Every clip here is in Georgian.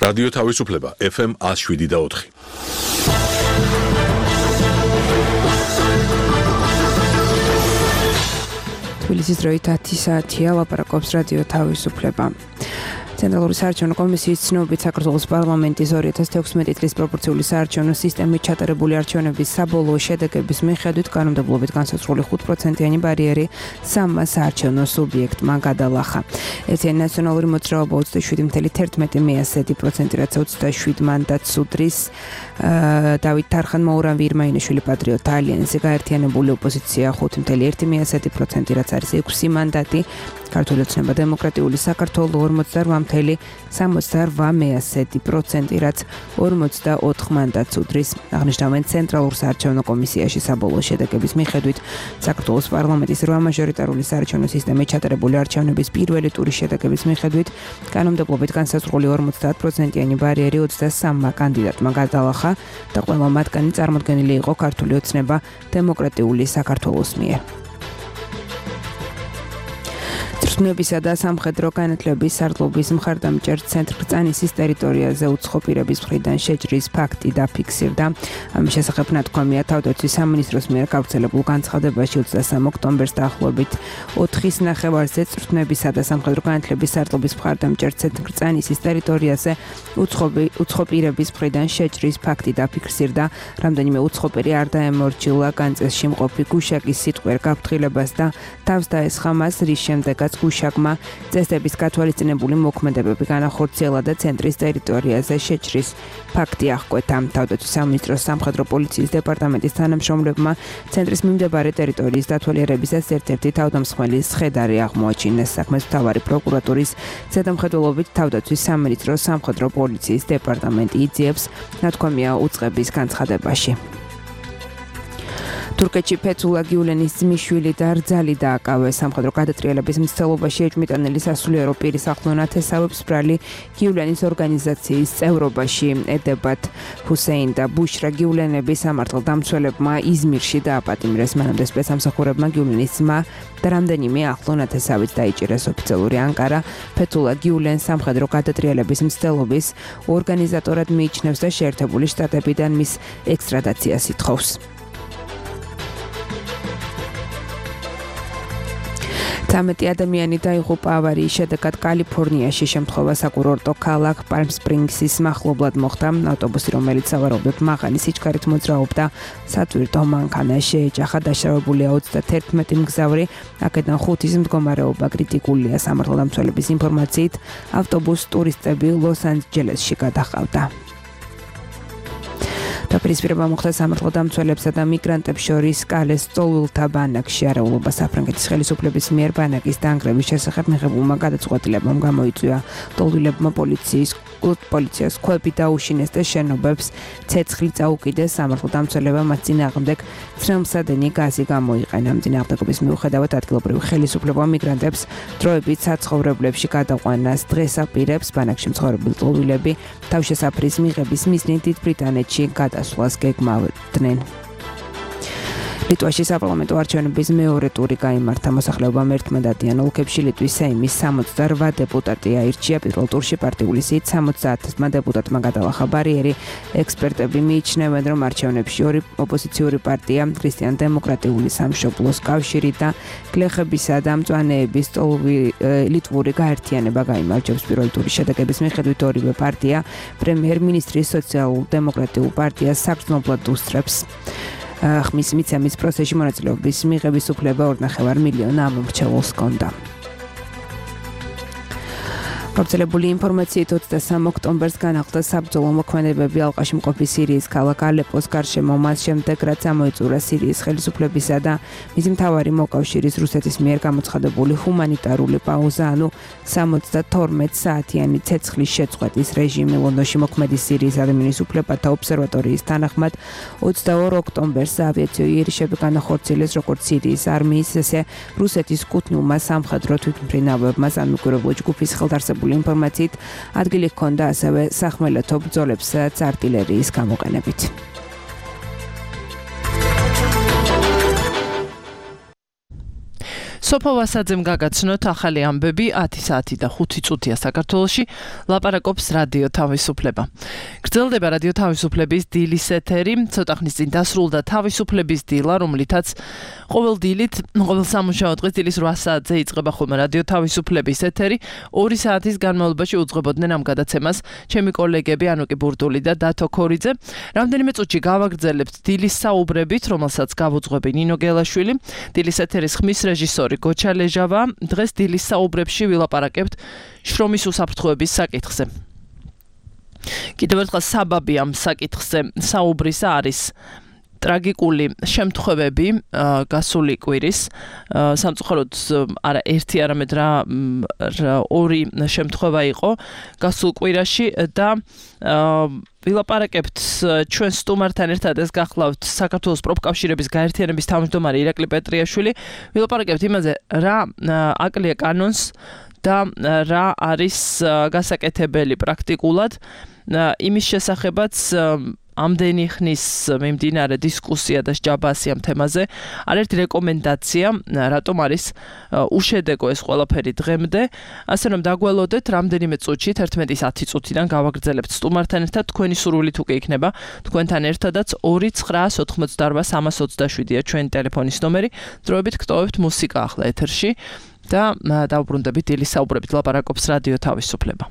რადიო თავისუფლება FM 107.4. თბილისის დროით 10 საათია, ლაპარაკობს რადიო თავისუფლება. ცენტრალური საარჩევნო კომისიის ცნობებით საქართველოს პარლამენტის 2016 წლის პროპორციული საარჩევნო სისტემით ჩატარებული არჩევნების საბოლოო შედეგების მიხედვით კანონმდებლობით განსაზღვრული 5%-იანი ბარიერი სამმა საარჩევნო სუბიექტმა გადალახა. ერთიანი ნაციონალური მოძრაობა 27.11%, რაც 27 მანდატს უდრის. დავით თარხანმა, ურავი ირმაინიშვილი, პატრიოტ ალიანსი, გაერთიანებული ოპოზიცია 5.1%, რაც არის 6 მანდატი. ქართული ოცნება დემოკრატიული საქართველო 48.68%, რაც 44 მანდატს უდრის. აღნიშნავენ ცენტრალურ საარჩევნო კომისიაში საბოლოო შედეგების მიხედვით საქართველოს პარლამენტის 8 მაჟორიტარული საარჩევნო სისტემით ჩატარებული არჩევნების პირველი ტურის შედეგების მიხედვით კანონმდებლობით განსაზღვრული 50%-იანი ბარიერი 23 კანდიდატმა გადალახა და ყველა მათგანი წარმოდგენილი იყო ქართული ოცნება დემოკრატიული საქართველოს მიერ. ცნობისა და სამხედრო განათლების სარდლობის მხარდამჭერ ცენტრ კრწანისის ტერიტორიაზე უცხო პირების მხრიდან შეჭრის ფაქტი დაფიქსირდა. ამის შესახებ ნათქვამია თავდაცვის სამინისტროს მიერ გავრცელებულ განცხადებაში 23 ოქტომბერს დაახლოებით 4-ის ნახევარზე ცნობისა და სამხედრო განათლების სარდლობის მხარდამჭერ ცენტრ კრწანისის ტერიტორიაზე უცხო პირების მხრიდან შეჭრის ფაქტი დაფიქსირდა. რამდენიმე უცხო პირი არ დაემორჩილა განწესში მყოფი გუშაკის სიტყვიერ გაფრთხილებას და თავს დაესხა მას, რის შემდეგაც გუშაკმა წესდების გათვალისწინებული მოქმედებები განახორციელა და ცენტრის ტერიტორიაზე შეჭრის ფაქტი აღკვეთა. თავდაცვის სამინისტროს სამხედრო პოლიციის დეპარტამენტის თანამშრომლებმა ცენტრის მიმდებარე ტერიტორიის დათვალიერებისას ერთ-ერთი თავდამსხმელის სხედარი აღმოაჩინეს. საქმეს მთავარი პროკურატურის ზედამხედველობით თავდაცვის სამინისტროს სამხედრო პოლიციის დეპარტამენტი იძიებს, ნათქვამია უწყების განცხადებაში. თურქეთში ფეთულა გიულენის ძმისშვილი და რძალი დააკავეს. სამხედრო გადატრიალების მცდელობაში ეჭვმიტანილი სასულიერო პირის ახლო ნათესავებს ბრალი გიულენის ორგანიზაციის წევრობაში ედებათ. ჰუსეინ და ბუშრა გიულენები სამართალდამცველებმა იზმირში დააპატიმრეს. მანამდე სპეცსამსახურებმა გიულენის ძმა და რამდენიმე ახლო ნათესავით დაიჭირეს. ოფიციალური ანკარა ფეთულა გიულენს სამხედრო გადატრიალების მცდელობის ორგანიზატორად მიიჩნევს და შეერთებული შტატებიდან მის ექსტრადაციას ითხოვს. 13 ადამიანი დაიღუპა ავარიის შედეგად კალიფორნიაში. შემთხვევა საკურორტო ქალაქ პალმ სპრინგსის მახლობლად მოხდა. ავტობუსი, რომელიც სავარაუდოდ მაღალი სიჩქარით მოძრაობდა, სატვირთო მანქანაში შეეჯახა. დაშავებულია 31 მგზავრი. აქედან 5-ის მდგომარეობა კრიტიკულია. სამართალდამცველების ინფორმაციით, ავტობუსს ტურისტები ლოს-ანჯელესში გადაჰყავდა. დაპირისპირება მოხდა სამართალდამცველებსა და მიგრანტებს შორის კალეს სწავლულთა ბანაკში. არეულობა საფრანგეთის ხელისუფლების მიერ ბანაკის დანგრევის შესახებ მიღებულმა გადაწყვეტილებამ გამოიწვია. ლტოლვილებმა პოლიციას ქვები დაუშინეს და შენობებს ცეცხლი წაუკიდეს. სამართალდამცველებმა მათ წინააღმდეგ ცრემლსადენი გაზი გამოიყენა. წინააღმდეგობის მიუხედავად ადგილობრივი ხელისუფლება მიგრანტებს დროებით საცხოვრებლებში გადაყვანას დღეს აპირებს. ბანაკში მცხოვრები ლტოლვილები თავშესაფრის მიღების მიზნით დიდ ბრიტანეთში გადასვლას გეგმავდნენ. ლიტვაში საპარლამენტო არჩევნების მეორე ტური გაიმართა. მოსახლეობამ ერთმანდატიან ოლქებში ლიტვის სეიმის 68 დეპუტატი აირჩია. პირველ ტურში პარტიული სიით 70-მა დეპუტატმა გადალახა ბარიერი. ექსპერტები მიიჩნევენ, რომ არჩევნებში ორი ოპოზიციური პარტია, ქრისტიან-დემოკრატიული სამშობლოს კავშირი და გლეხებისა და მწვანეების ლიტვური გაერთიანება გაიმარჯვებს. პირველი ტურის შედეგების მიხედვით ორივე პარტია პრემიერ-მინისტრის სოციალურ-დემოკრატიულ პარტიას საგრძნობლად უსწრებს. ხმის მიცემის პროცესში მონაწილეობის მიღების უფლება 2.5 მილიონი ამომრჩეველს ჰქონდა. გავრცელებული ინფორმაციით 23 ოქტომბერს განახლდა საბრძოლო მოქმედებები ალყაში მყოფი სირიის ქალაქ ალეპოს გარშემო, მას შემდეგ რაც ამოიწურა სირიის ხელისუფლებისა და მისი მთავარი მოკავშირის რუსეთის მიერ გამოცხადებული ჰუმანიტარული პაუზა, ანუ 72 საათიანი ცეცხლის შეწყვეტის რეჟიმი. ლონდონში მოქმედი სირიის ადამიანის უფლებათა ობსერვატორიის თანახმად 22 ოქტომბერს ავიაციო იერიშები განახორციელეს როგორც სირიის არმიის, ესე რუსეთის კუთვნილმა სამხედრო თვითმფრინავებმა. სამოუკიდებლო ჯგუფის ხელდარსებული ინფორმაციით ადგილი ჰქონდა ასევე სახმელეთო ბრძოლებსაც артиллерიის გამოყენებით. სოფო ვასაძემ გაგაცნოთ ახალი ამბები 10 საათი და 5 წუთია საქართველოში ლაპარაკობს რადიო თავისუფლება. გრძელდება რადიო თავისუფლების დილის ეთერი, ცოტა ხნის წინ დასრულდა თავისუფლების დილა, რომლითაც ყოველ სამუშაო დღეს დილის 8 საათზე იწყება ხოლმე რადიო თავისუფლების ეთერი. 2 საათის განმავლობაში უძღვებოდნენ ამ გადაცემას ჩემი კოლეგები ანუკი ბურდული და დათო ქორიძე. რამდენიმე წუთში გავაგრძელებთ დილის საუბრებით, რომელსაც გავუძღვები ნინო გელაშვილი. დილის ეთერის ხმის რეჟისორი გოჩა ლეჟავა. დღეს დილის საუბრებში ვილაპარაკებთ შრომის უსაფრთხოების საკითხზე. კიდევ ერთხელ საბაბი ამ საკითხზე საუბრისა არის ტრაგიკული შემთხვევები გასული კვირის სამწუხაროდ არა ერთი არამედ რა ორი შემთხვევა იყო გასულ კვირაში და ვილაპარაკებთ ჩვენ სტუმართან ერთად ეს გახლავთ საქართველოს პროფკავშირების გაერთიანების თავმჯდომარე ირაკლი პეტრიაშვილი ვილაპარაკებთ იმაზე რა აკლია კანონს და რა არის გასაკეთებელი პრაქტიკულად იმის შესახებაც ამდენი ხნის მიმდინარე დისკუსია და სჯაბასი ამ თემაზე არაერთი რეკომენდაცია რატომ არის უშედეგო ეს ყველაფერი დღემდე ასე რომ დაგველოდეთ რამდენიმე წუთში 11:10 წუთიდან გავაგრძელებთ სტუმართან ერთად თქვენი სურვილით უკვე იქნება თქვენთან ერთადაც 2988327-ია ჩვენი ტელეფონის ნომერი დროებით გტოვებთ მუსიკა ახლა ეთერში და დავუბრუნდებით დილის საუბრებით ლაპარაკობს რადიო თავისუფლება.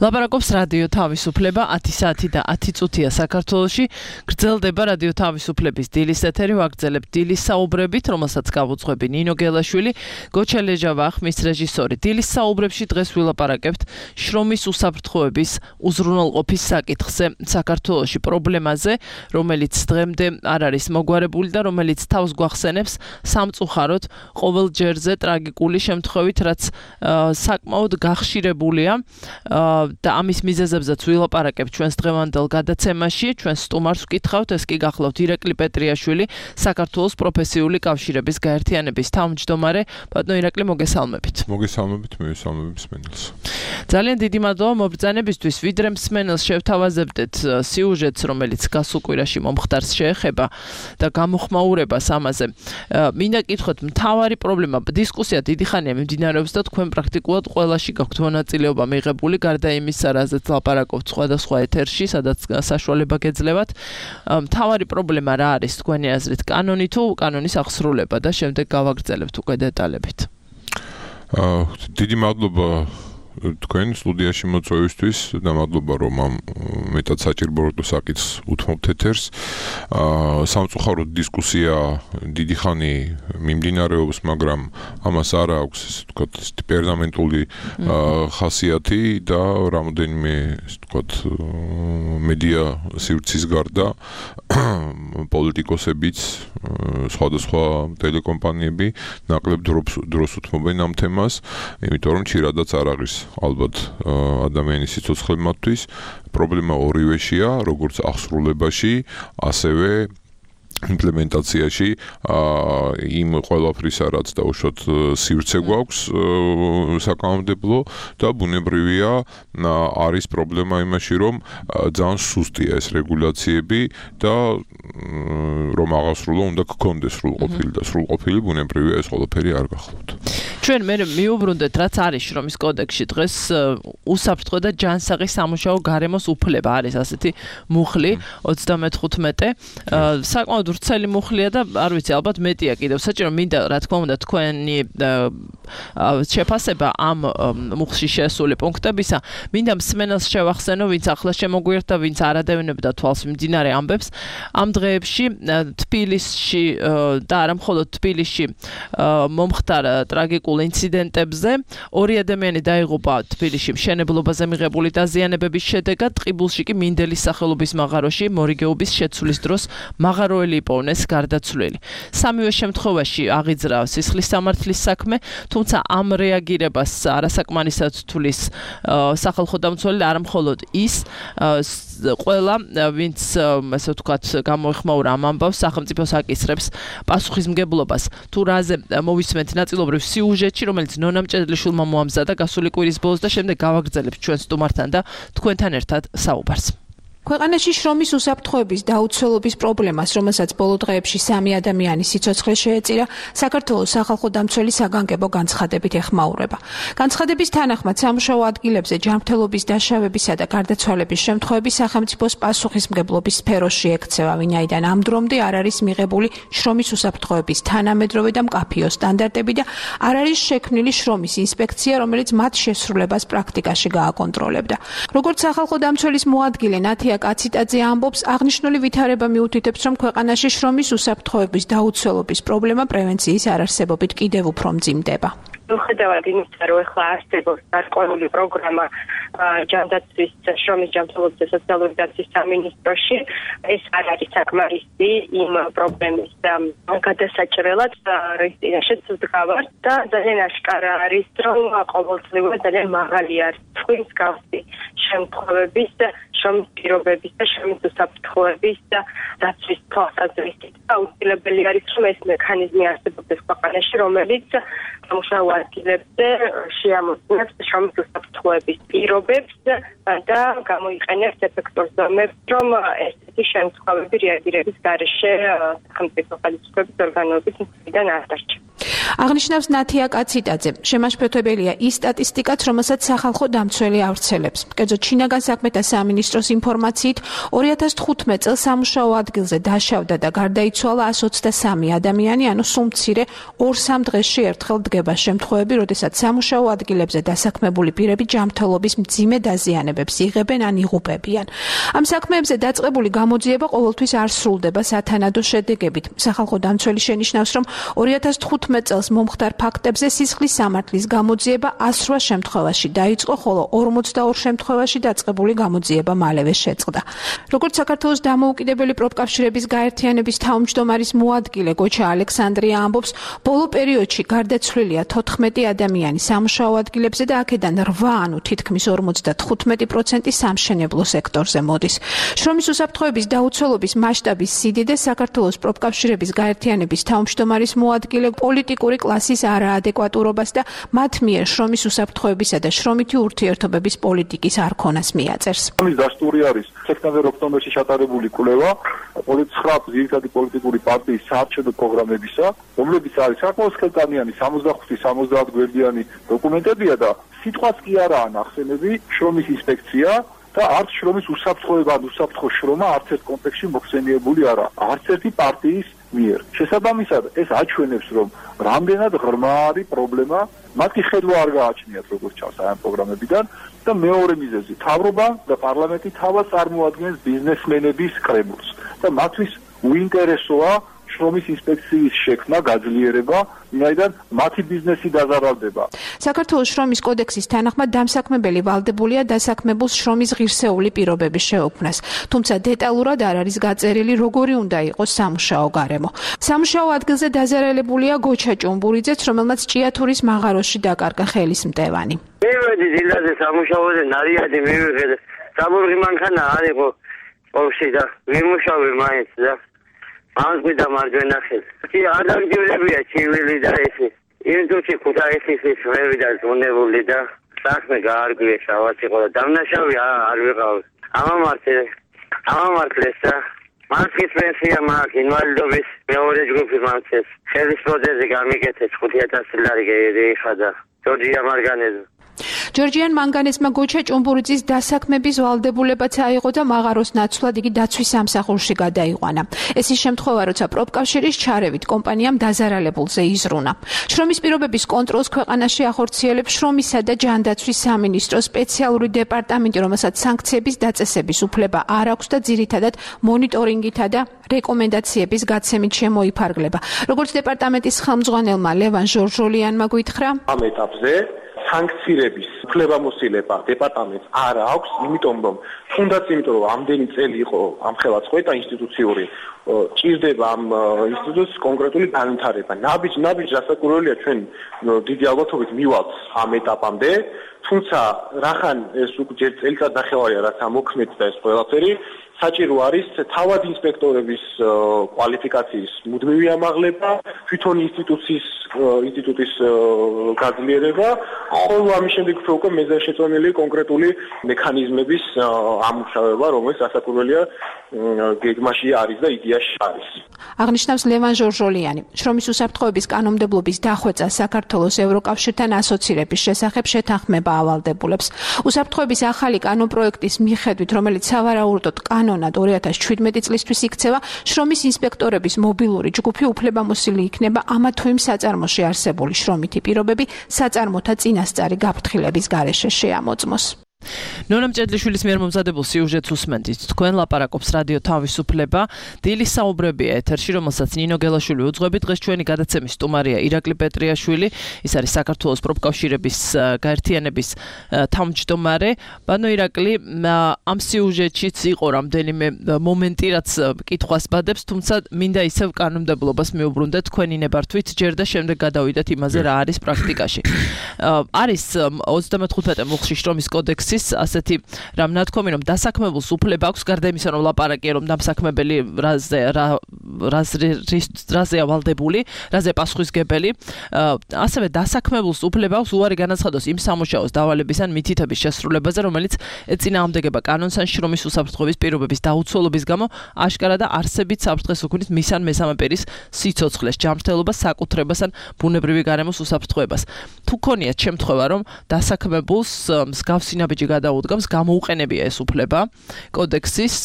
ლაპარაკობს რადიო თავისუფლება 10 საათი და 10 წუთია საქართველოში. გრძელდება რადიო თავისუფლების დილის ეთერი, ვაგრძელებთ დილის საუბრებით, რომელსაც გავუძღვები ნინო გელაშვილი, გოჩა ლეჟავა, ხმის რეჟისორი. დილის საუბრებში დღეს ვილაპარაკებთ შრომის უსაფრთხოების უზრუნველყოფის საკითხზე საქართველოში, პრობლემაზე, რომელიც დღემდე არ არის მოგვარებული და რომელიც თავს გვახსენებს სამწუხაროდ ყოველ ჯერზე ტრაგიკული შემთხვევით, რაც საკმაოდ გახშირებულია. და ამის მიზეზებზეც ვილაპარაკებთ ჩვენს დღევანდელ გადაცემაში. ჩვენს სტუმარს ვკითხავთ, ეს კი გახლავთ ირაკლი პეტრიაშვილი, საქართველოს პროფესიული კავშირების გაერთიანების თავმჯდომარე. ბატონო ირაკლი, მოგესალმებით. მოგესალმებით, მივესალმებით მსმენელს. ძალიან დიდი მადლობა მობრძანებისთვის. ვიდრე მსმენელს შევთავაზებდეთ სიუჟეტს, რომელიც გასულ კვირაში მომხდარს შეეხება და გამოხმაურებას ამაზე. მინდა კითხოთ, მთავარი პრობლემა, დისკუსია დიდი ხანია მიმდინარეობს და თქვენ პრაქტიკულად ყველაში გაქვთ მონაწილეობა მიღებული, გარდა იმისა, რაზეც ლაპარაკობთ სხვადასხვა ეთერში, სადაც საშუალება გეძლევათ. მთავარი პრობლემა რა არის თქვენი აზრით, კანონი თუ კანონის აღსრულება და შემდეგ გავაგრძელებთ უკვე დეტალებით. დიდი მადლობა თქვენ სტუდიაში მოწვევისთვის და მადლობა რომ ამ მეტად საჭირო საკითხს უთმობთ ეთერს. სამწუხაროდ დისკუსია დიდი ხანი მიმდინარეობს, მაგრამ ამას არ აქვს ესე ვთქვათ პერმანენტული ხასიათი და რამოდენიმე ესე ვთქვათ მედია სივრცის გარდა პოლიტიკოსებიც, სხვადასხვა ტელეკომპანიები ნაკლებ დროს უთმობენ ამ თემას, იმიტომ რომ ჩირადაც არ არის ალბათ ადამიანის სიცოცხლე მათთვის. პრობლემა ორივეშია, როგორც აღსრულებაში, ასევე იმპლემენტაციაში იმ ყველაფრისა, რაც დაუშვათ სივრცე გვაქვს საკანონმდებლო და ბუნებრივია არის პრობლემა იმაში, რომ ძალიან სუსტია ეს რეგულაციები და რომ აღასრულო უნდა გქონდეს სრულყოფილი და სრულყოფილი ბუნებრივია ეს ყველაფერი არ გახლავთ. ჩვენ მე მიუბრუნდეთ, რაც არის შრომის კოდექსში დღეს უსაფრთხო და ჯანსაღი სამუშაო გარემოს უფლება არის ასეთი მუხლი 35 საკმაოდ ვრცელი მუხლია და არ ვიცი, ალბათ მეტია კიდევ საჭირო მინდა რა თქმა უნდა თქვენი შეფასება ამ მუხლში შესული პუნქტებისა. მინდა მსმენელს შევახსენო, ვინც ახლა შემოგვიერთდა, ვინც არ ადევნებდა თვალს მიმდინარე ამბებს. ამ დღეებში თბილისში და არა მხოლოდ თბილისში მომხდარ ტრაგიკულ ინციდენტებზე. 2 ადამიანი დაიღუპა თბილისში მშენებლობაზე მიღებული დაზიანებების შედეგად. ტყიბულში კი მინდელის სახელობის მაღაროში მორიგეობის შეცვლის დროს მაღაროელი იპოვნეს გარდაცვლილი. სამივე შემთხვევაში აღიძრა სისხლის სამართლის საქმე, თუმცა ამ რეაგირებას არასაკმარისად თulis სახალხო დამცველი და არა მხოლოდ ის ყველა ვინც ასე ვთქვათ გამოეხმაურა ამ ამბავს სახელმწიფოს აკისრებს პასუხისმგებლობას. თუ რაზე მოვისმენთ ნაწილობრივ სიუჟეტში, რომელიც ნონა მჭედლიშვილმა მოამზადა გასული კვირის ბოლოს და შემდეგ გავაგრძელებთ ჩვენ სტუმართან და თქვენთან ერთად საუბარს. ქვეყანაში შრომის უსაფრთხოების დაუცველობის პრობლემას, რომელსაც ბოლო დღეებში 3 ადამიანის სიცოცხლე შეეწირა, საქართველოს სახალხო დამცველი საგანგებო განცხადებით ეხმაურება. განცხადების თანახმად სამუშაო ადგილებზე ჯანმრთელობის დაშავებისა და გარდაცვალების შემთხვევები სახელმწიფოს პასუხისმგებლობის სფეროში ექცევა, ვინაიდან ამ დრომდე არ არის მიღებული შრომის უსაფრთხოების თანამედროვე და მკაფიო სტანდარტები და არ არის შექმნილი შრომის ინსპექცია, რომელიც მათ შესრულებას პრაქტიკაში გააკონტროლებდა. როგორც სახალხო დამცველის მოადგილე ნათია კაციტაძე ამბობს, აღნიშნული ვითარება მიუთითებს, რომ ქვეყანაში შრომის უსაფრთხოების დაუცველობის პრობლემა პრევენციის არარსებობით კიდევ უფრო მძიმდება. მიუხედავად იმისა, რომ ახლა არსებობს გარკვეული პროგრამა ჯანდაცვის, შრომის ჯანმრთელობის და სოციალური დაცვის სამინისტროში, ეს არ არის საკმარისი იმ პრობლემის გადასაჭრელად, რის წინაშეც ვდგავართ და ძალიან აშკარა არის, რომ ყოველწლიურად ძალიან მაღალი არის თქვის გავსი შემთხვევების და შრომის პირობების და შრომის უსაფრთხოების და დაცვის თვალსაზრისით. აუცილებელი არის, რომ ეს მექანიზმი არსებობდეს ქვეყანაში, რომელიც სამუშაო ადგილებზე შეამოწმებს შრომის უსაფრთხოების პირობებს და გამოიყენებს ეფექტურ ზომებს, რომ ესეთი შემთხვევები რეაგირების გარეშე სახელმწიფო ხელისუფლების ორგანოების მხრიდან არ დარჩა. აღნიშნავს ნათია კაციტაძე, შემაშფოთებელია ის სტატისტიკაც, რომელსაც სახალხო დამცველი ავრცელებს. კერძოდ, შინაგან საქმეთა სამინისტროს ინფორმაციით 2015 წელს სამუშაო ადგილზე დაშავდა და გარდაიცვალა 123 ადამიანი, ანუ სულ მცირე 2-3 დღეში ერთხელ დგება შემთხვევები, როდესაც სამუშაო ადგილებზე დასაქმებული პირები ჯანმრთელობის მძიმე დაზიანებებს იღებენ ან იღუპებიან. ამ საქმეებზე დაწყებული გამოძიება ყოველთვის არ სრულდება სათანადო შედეგებით. სახალხო დამცველი შენიშნავს, რომ 2015 წელს მომხდარ ფაქტებზე სისხლის სამართლის გამოძიება 108 შემთხვევაში დაიწყო, ხოლო 42 შემთხვევაში დაწყებული გამოძიება მალევე შეწყდა. როგორც საქართველოს დამოუკიდებელი პროფკავშირების გაერთიანების თავმჯდომარის მოადგილე გოჩა ალექსანდრია ამბობს, ბოლო პერიოდში გარდაცვლილია 14 ადამიანი სამუშაო ადგილებზე და აქედან 8, ანუ თითქმის 55% სამშენებლო სექტორზე მოდის. შრომის უსაფრთხოების დაუცველობის მასშტაბის სიდიდე საქართველოს პროფკავშირების გაერთიანების თავმჯდომარის მოადგილე პოლიტიკური კლასის არაადეკვატურობას და მათ მიერ შრომის უსაფრთხოებისა და შრომითი ურთიერთობების პოლიტიკის არქონას მიაწერს. ამის დასტური არის სექტემბერ-ოქტომბერში ჩატარებული კვლევა 9 ძირითადი პოლიტიკური პარტიის საარჩევნო პროგრამებისა, რომლებიც არის საკმაოდ ხელტანიანი 65-70 გვერდიანი დოკუმენტებია და სიტყვაც კი არაა ნახსენები შრომის ინსპექცია და არც შრომის უსაფრთხოება ან უსაფრთხო შრომა არც ერთ კონტექსტში მოხსენიებული არა, არც ერთი პარტიის მიერ. შესაბამისად, ეს აჩვენებს, რომ რამდენად ღრმა არის პრობლემა, მათ კი ხედვა არ გააჩნიათ, როგორც ჩანს ამ პროგრამებიდან და მეორე მიზეზი, მთავრობა და პარლამენტი თავად წარმოადგენს ბიზნესმენების კრებულს და მათთვის უინტერესოა შრომის ინსპექციის შექმნა, გაძლიერება, ვინაიდან მათი ბიზნესი დაზარალდება. საქართველოს შრომის კოდექსის თანახმად დამსაქმებელი ვალდებულია დასაქმებულს შრომის ღირსეული პირობების შეუქმნას, თუმცა დეტალურად არ არის გაწერილი, როგორი უნდა იყოს სამუშაო გარემო. სამუშაო ადგილზე დაზარალებულია გოჩა ჭუმბურიძეც, რომელმაც ჭიათურის მაღაროში დაკარგა ხელის მტევანი. მივედი დილაზე სამუშაოზე, ნარიადი მივიღე. საბურღი მანქანა არ იყო ოფში და ვიმუშავე მაინც და ამგვიდა მარჯვენა ხელს. კი ადაგდებია ჩივილი და ესე. იმდროში ქუთაისის ვები და ზონებული და საქმე გაარგვია შავაც იყო და დამნაშავე არ ვიყავ. ამამართლეს და მანქის პენსია მაქვს, ინვალიდობის მეორე ჯგუფი მანქეს. ხელის პროთეზი გამიკეთეს 5000 ლარი გაიხადა. ჯორჯია მარგანეზე. ჯორჯიან მანგანესმა გოჩა ჭუმბურიძის დასაქმების ვალდებულებაც აიღო და მაღაროს ნაცვლად იგი დაცვის სამსახურში გადაიყვანა. ეს ის შემთხვევა, როცა პროფკავშირის ჩარევით კომპანიამ დაზარალებულზე იზრუნა. შრომის პირობების კონტროლს ქვეყანაში ახორციელებს შრომისა და ჯანდაცვის სამინისტროს სპეციალური დეპარტამენტი, რომელსაც სანქციების დაწესების უფლება არ აქვს და ძირითადად მონიტორინგითა და რეკომენდაციების გაცემით შემოიფარგლება. როგორც დეპარტამენტის ხელმძღვანელმა ლევან ჟორჟოლიანმა გითხრა, ამ ეტაპზე სანქცირების უფლებამოსილება დეპარტამენტს არ აქვს, იმიტომ რომ ამდენი წელი იყო ამხელა წყვეტა ინსტიტუციური, ჭირდება ამ ინსტიტუტს კონკრეტული განვითარება. ნაბიჯ დასაკურველია ჩვენ დიდი ალბათობით მივალთ ამ ეტაპამდე, თუმცა რახან ეს უკვე წელიწად ნახევარია რაც ამოქმედდა ეს ყველაფერი, საჭირო არის თავად ინსპექტორების კვალიფიკაციის მუდმივი ამაღლება, თვითონ ინსტიტუტის გაძლიერება, ხოლო ამის შემდეგ უკვე მეზანშეწონილი კონკრეტული მექანიზმების ამუშავება, რომელიც დასაკურველია გეგმაში არის და იდეაში არის. აღნიშნავს ლევან ჟორჟოლიანი. შრომის უსაფრთხოების კანონმდებლობის დახვეწა საქართველოს ევროკავშირთან ასოცირების შესახებ შეთანხმება ავალდებულებს. უსაფრთხოების ახალი კანონპროექტის მიხედვით, რომელიც სავარაუდოდ კანონად 2017 წლისთვის იქცევა, შრომის ინსპექტორების მობილური ჯგუფი უფლებამოსილი იქნება ამა თუ იმ საწარმოში არსებული შრომითი პირობები საწარმოთა წინასწარი გაფრთხილების გარეშე შეამოწმოს. ნონა მჭედლიშვილის მიერ მომზადებულ სიუჟეტს უსმენთ. თქვენ ლაპარაკობს რადიო თავისუფლება. დილის საუბრებია ეთერში, რომელსაც ნინო გელაშვილი უძღვებით. დღეს ჩვენი გადაცემის სტუმარია ირაკლი პეტრიაშვილი. ის არის საქართველოს პროფკავშირების გაერთიანების თავმჯდომარე. ბანო ირაკლი, ამ სიუჟეტშიც იყო რამდენიმე მომენტი, რაც კითხვას ბადებს, თუმცა მინდა ისევ კანონმდებლობას მიუბრუნდეთ თქვენი ნებართვით, ჯერ და შემდეგ გადავიდეთ იმაზე, რა არის პრაქტიკაში. არის 35 მუხლში შრომის კოდექსის, ასე ასეთი რამ ნათქვამი რომ დასაქმებულს უფლება აქვს გარდა იმისა რომ ლაპარაკია რომ დამსაქმებელი რაზეა ვალდებული, რაზე პასუხისგებელი, ასევე დასაქმებულს უფლება აქვს უარი განაცხადოს იმ სამუშაოს დავალების ან მითითების შესრულებაზე, რომელიც ეწინააღმდეგება კანონს ან შრომის უსაფრთხოების პირობების დაუცველობის გამო აშკარა და არსებით საფრთხეს უქმნის მის ან მესამე პირის სიცოცხლეს, ჯანმრთელობას, საკუთრებას ან ბუნებრივი გარემოს უსაფრთხოებას. თუ ქონიათ შემთხვევა, რომ დასაქმებულს მსგავსი ნაბიჯი გადაუდგამს, გამოუყენებია ეს უფლება კოდექსის,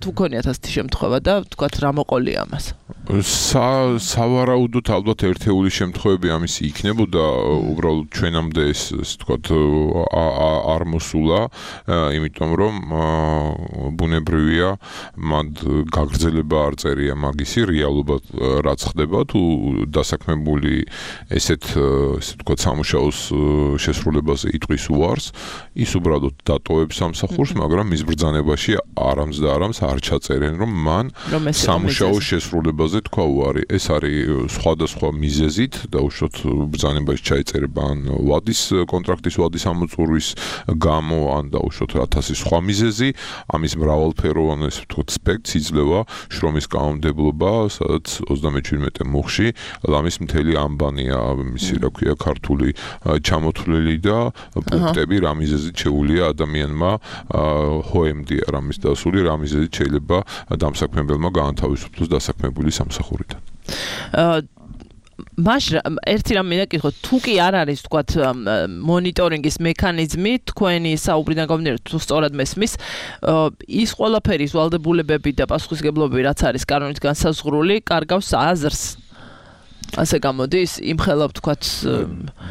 თუ ქონიათ ასეთი შემთხვევა და თქვათ რა მოყოლია ამას. სავარაუდოდ ალბათ ერთეული შემთხვევები ამისი იქნებოდა, უბრალოდ ჩვენამდე ეს თქვათ არ მოსულა, იმიტომ რომ ბუნებრივია მათ გაგრძელება არ წერია მაგისი რეალობა რაც ხდება თუ დასაქმებული ესეთ თქვათ სამუშაოს შესრულებაზე იტყვის უარს, ის უბრალოდ დატოვებს სამსახურს, მაგრამ მის ბრძანებაში არამს და არამს არ ჩაწერენ რომ მან სამუშაოს შესრულებაზე თქვა უარი. ეს არის სხვადასხვა მიზეზით დაუშვათ ბრძანებაში ჩაეწერება ან ვადის კონტრაქტის ვადის ამოწურვის გამო ან დაუშვათ 1000 სხვა მიზეზი, ამის მრავალფეროვანი ეს ვთქვათ სპექტრი იძლევა შრომის კანონმდებლობა, სადაც 37 მუხში ლამის მთელი ამბანია მისი რა ქვია ქართული ჩამოთვლილი და პუნქტები რა მიზეზით შეუულია ადამიანმა ჰოემდია რამის დასული რა მიზეზით შეიძლება დამსაქმებელმა გაანთავისუფლოს დასაქმებული სამსახურიდან. ერთი რამ მინდა გითხოთ, თუ კი არ არის თქვათ მონიტორინგის მექანიზმი, თქვენი საუბრიდან გამომდინარე თუ სწორად მესმის, ის ყველაფერი ვალდებულებები და პასუხისგებლობები რაც არის კანონით განსაზღვრული, კარგავს აზრს. ასე გამოდის, იმხელა ვთქვათ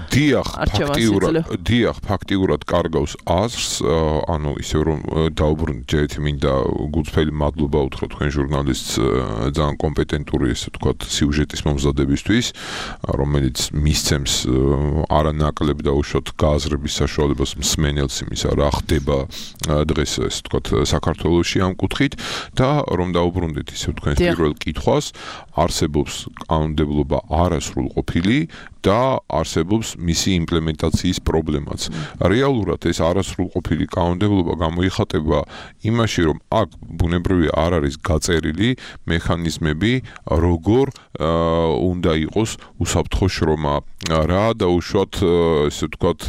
დიახ, ფაქტიურად კარგავს აზრს, ანუ ისე რომ დაუბრუნდით ჯერეთი მინდა გულწრფელი მადლობა უთხრა თქვენ ჟურნალისტს ძალიან კომპეტენტური ესე ვთქვათ სიუჟეტის მომზადებისთვის, რომელიც მისცემს არანაკლებ დაუშვათ გააზრების საშუალებას მსმენელს იმისა რა ხდება დღეს ესე ვთქვათ საქართველოში ამ კუთხით და რომ დაუბრუნდით ისე თქვენს პირველ კითხვას, არსებობს კანონმდებლობა არასრულყოფილი და არსებობს მისი იმპლემენტაციის პრობლემაც. რეალურად ეს არასრულყოფილი კანონმდებლობა გამოიხატება იმაში, რომ აქ ბუნებრივია არ არის გაწერილი მექანიზმები, როგორ უნდა იყოს უსაფრთხო შრომა, რა დაუშვათ ესე ვთქვათ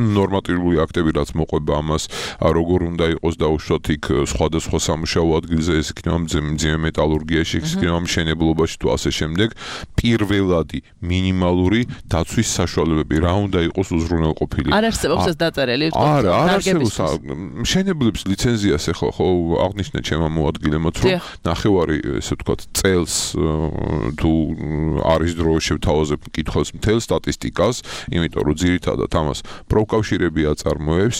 ნორმატიული აქტები რაც მოყვება ამას, როგორ უნდა იყოს დაუშვათ იქ სხვადასხვა სამუშაო ადგილზე, ეს იქნება მძიმე მეტალურგიაში, ეს იქნება მშენებლობაში თუ ასე შემდეგ, პირველადი მინიმალური დაცვის საშუალებები რა უნდა იყოს უზრუნველყოფილი. არ არსებობს ეს დაწერილი, არა, არ არსებობს. მშენებლებს ლიცენზიას ეხლა ხო აღნიშნეთ ჩემმა მოადგილემაც, რომ ნახევარი ესე ვთქვათ წელს თუ არის დრო შევთავაზებ მკითხველს მთელ სტატისტიკას, იმიტომ რომ ძირითადად ამას პროფკავშირები აწარმოებს,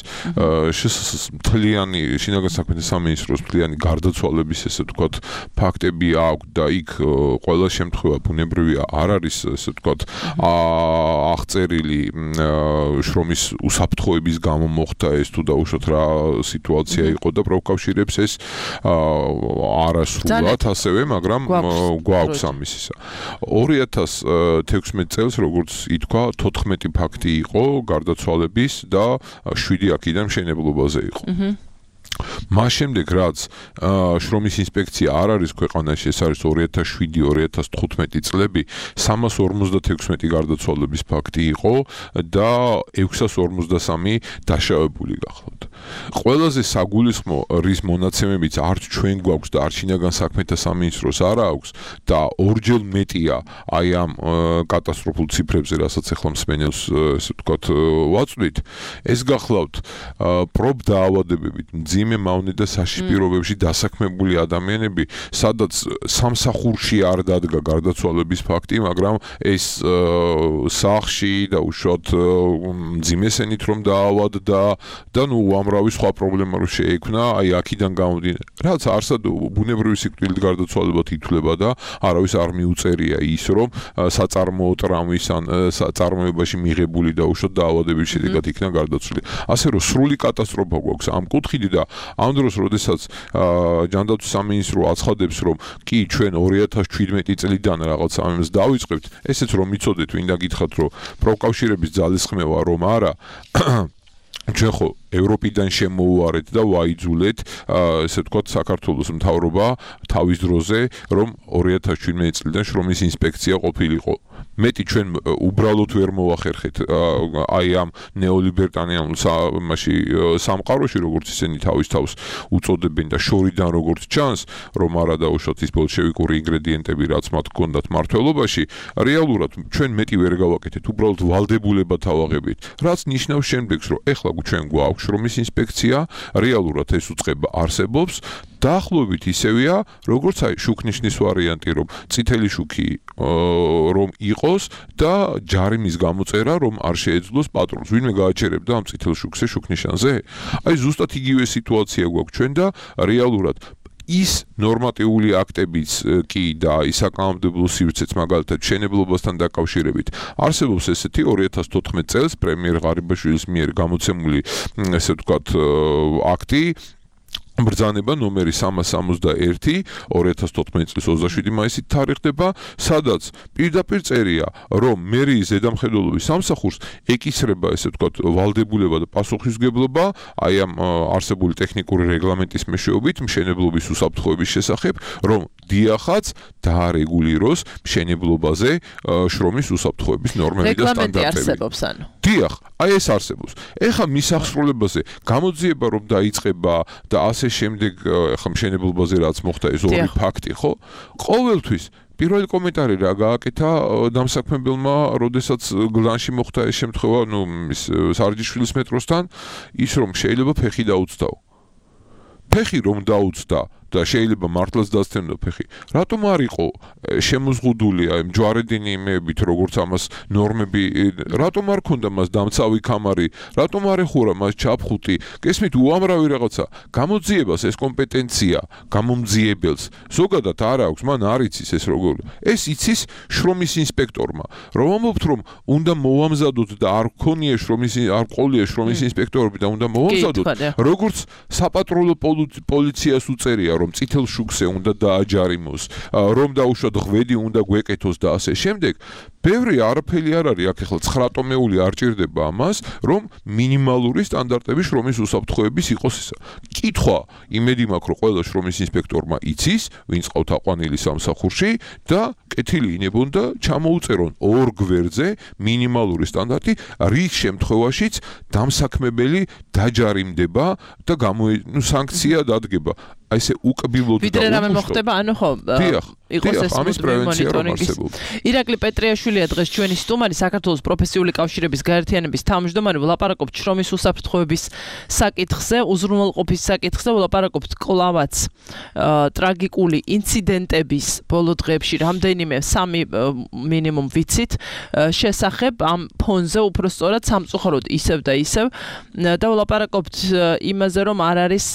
მთლიანი შინაგან საქმეთა სამინისტროს მთლიანი გარდაცვალების ესე ვთქვათ ფაქტები აქვს და იქ ყველა შემთხვევა ბუნებრივია არ არის ესე ვთქვათ აღწერილი შრომის უსაფრთხოების გამო მოხდა ეს თუ დაუშვათ რა სიტუაცია იყო და პროფკავშირებს ეს არასრულად ასევე, მაგრამ გვაქვს ამისისა. 2016 წელს როგორც ითქვა 14 ფაქტი იყო გარდაცვალების და 7 აქედან მშენებლობაზე იყო. მას შემდეგ რაც შრომის ინსპექცია არ არის ქვეყანაში, ეს არის 2007-2015 წლები, 356 გარდაცვალების ფაქტი იყო და 653 დაშავებული გახლავთ. ყველაზე საგულისხმო რის მონაცემებიც არც ჩვენ გვაქვს და არც შინაგან საქმეთა სამინისტროს არ აქვს და ორჯერ მეტია აი ამ კატასტროფულ ციფრებზე, რასაც ახლა მსმენელს ესე ვთქვათ ვაწვდით, ეს გახლავთ პრობ დაავადებებით მძიმე მავნე და საშიშ პირობებში დასაქმებული ადამიანები, სადაც სამსახურში არ დადგა გარდაცვალების ფაქტი, მაგრამ ეს სახლში და უშუალოდ მძიმესენით რომ დაავადდა და ნუ უამრავი სხვა პრობლემა რო შეექმნა, აი აქედან გამომდინარე. რაც არსად ბუნებრივი სიკვდილით გარდაცვალებად ითვლება და არავის არ მიუწერია ის, რომ საწარმოო ტრამვის ან საწარმოებაში მიღებული და უშუალოდ დაავადების შედეგად იქნა გარდაცვლილი. ასე რომ სრული კატასტროფა გვაქვს ამ კუთხით და ამ დროს, როდესაც ჯანდაცვის სამინისტრო აცხადებს, რომ კი ჩვენ 2017 წლიდან რაღაც ამას დავიწყებთ, ესეც რომ მიცოდეთ, ვინდა გითხრათ, რომ პროფკავშირების ძალისხმევა რომ არა, ჩვენ ხო ევროპიდან შემოუარეთ და ვაიძულეთ, ესე ვთქვათ, საქართველოს მთავრობა თავის დროზე, რომ 2017 წლიდან შრომის ინსპექცია ყოფილიყო. მეტი ჩვენ უბრალოდ ვერ მოახერხეთ აი ამ ნეოლიბერტანიანულ სამყაროში, როგორც ისინი თავის თავს უწოდებენ და შორიდან როგორც ჩანს, რომ არა დაუშვათ ის ბოლშევიკური ინგრედიენტები, რაც მათ ჰქონდათ მმართველობაში, რეალურად ჩვენ მეტი ვერ გავაკეთეთ, უბრალოდ ვალდებულება თავაღებით. რაც ნიშნავს შემდეგს, რომ ეხლა ჩვენ გვაქვს შრომის ინსპექცია, რეალურად ეს უწყება არსებობს. დაახლოებით ისევია, როგორც აი შუქნიშნის ვარიანტი, რომ წითელი შუქი რომ იყოს და ჯარიმის გამოწერა, რომ არ შეეძლოს პატრონს. ვინმე გააჩერებდა ამ წითელ შუქზე შუქნიშანზე? აი ზუსტად იგივე სიტუაცია გვაქვს ჩვენ და რეალურად ის ნორმატიული აქტებიც კი და ის საკანონმდებლო სივრცეც მაგალითად მშენებლობასთან დაკავშირებით არსებობს ესეთი 2014 წელს პრემიერ ღარიბაშვილის მიერ გამოცემული ესე ვთქვათ აქტი ბრძანება ნომერი 361 2014 წლის 27 მაისით თარიღდება, სადაც პირდაპირ წერია, რომ მერიის ზედამხედველობის სამსახურს ეკისრება ესე ვთქვათ ვალდებულება და პასუხისმგებლობა აი ამ არსებული ტექნიკური რეგლამენტის მეშვეობით მშენებლობის უსაფრთხოების შესახებ, რომ დიახაც დაარეგულიროს მშენებლობაზე შრომის უსაფრთხოების ნორმები და სტანდარტები. რეგლამენტი არსებობს ანუ. დიახ, აი ეს არსებობს. ეხა მის აღსრულებაზე გამოძიება რომ დაიწყება და ასე შემდეგ ახლა მშენებლობაზე რაც მოხდა ეს ორი ფაქტი, ხო? ყოველთვის პირველი კომენტარი რა გააკეთა დამსაქმებელმა, როდესაც გლანში მოხდა ეს შემთხვევა, ნუ ის სარჯიშვილის მეტროსთან, ის რომ შეიძლება ფეხი დაუცდაო. ფეხი რომ დაუცდა და შეიძლება მართლაც დასცემდა ფეხი. რატომ არ იყო შემოზღუდული აი ჯვარედინი იმეებით, როგორც ამას ნორმები, რატომ არ ქონდა მას დამცავი კამარი, რატომ არ ეხურა მას ჩაფხუტი? გესმით, უამრავი რაღაცა. გამოძიებას ეს კომპეტენცია გამომძიებელს ზოგადად არ აქვს, მან არ იცის ეს როგორ. ეს იცის შრომის ინსპექტორმა. რომ ამბობთ, რომ უნდა მოვამზადოთ და არ ქონია არ ყოლია შრომის ინსპექტორები და უნდა მოვამზადოთ, როგორც საპატრონო პოლიციას უწერია რომ წითელ შუქზე უნდა დააჯარიმოს, რომ დაუშვათ ღვედი უნდა გვეკეთოს და ასე შემდეგ. ბევრი არაფერი არ არის აქ ახლა 9 ტომეული არ ჭირდება ამას, რომ მინიმალური სტანდარტები შრომის უსაფრთხოების იყოს ისა. კითხვა, იმედი მაქვს, რომ ყველა შრომის ინსპექტორმა იცის, ვინც ყავთ აყვანილი სამსახურში და კეთილი ინებონ და ჩამოუწერონ ორ გვერდზე მინიმალური სტანდარტი, რის შემთხვევაშიც დამსაქმებელი დაჯარიმდება და სანქცია დადგება. აი ესე უკბილოდ და ვიდრე რამე მოხდება, ანუ ხო, იყოს ეს ამის პრევენცია რომ არსებობს. ირაკლი პეტრიაშვილია დღეს ჩვენი სტუმარი, საქართველოს პროფესიული კავშირების გაერთიანების თავმჯდომარე, ვლაპარაკობთ შრომის უსაფრთხოების საკითხზე, უზრუნველყოფის საკითხზე, ვლაპარაკობთ კლავაც ტრაგიკული ინციდენტების ბოლო დღეებში რამდენიმე 3 მინიმუმ ვიცით შესახებ ამ ფონზე უпростоრად სამწუხაროდ ისევ და ისევ და ვლაპარაკობთ იმაზე, რომ არ არის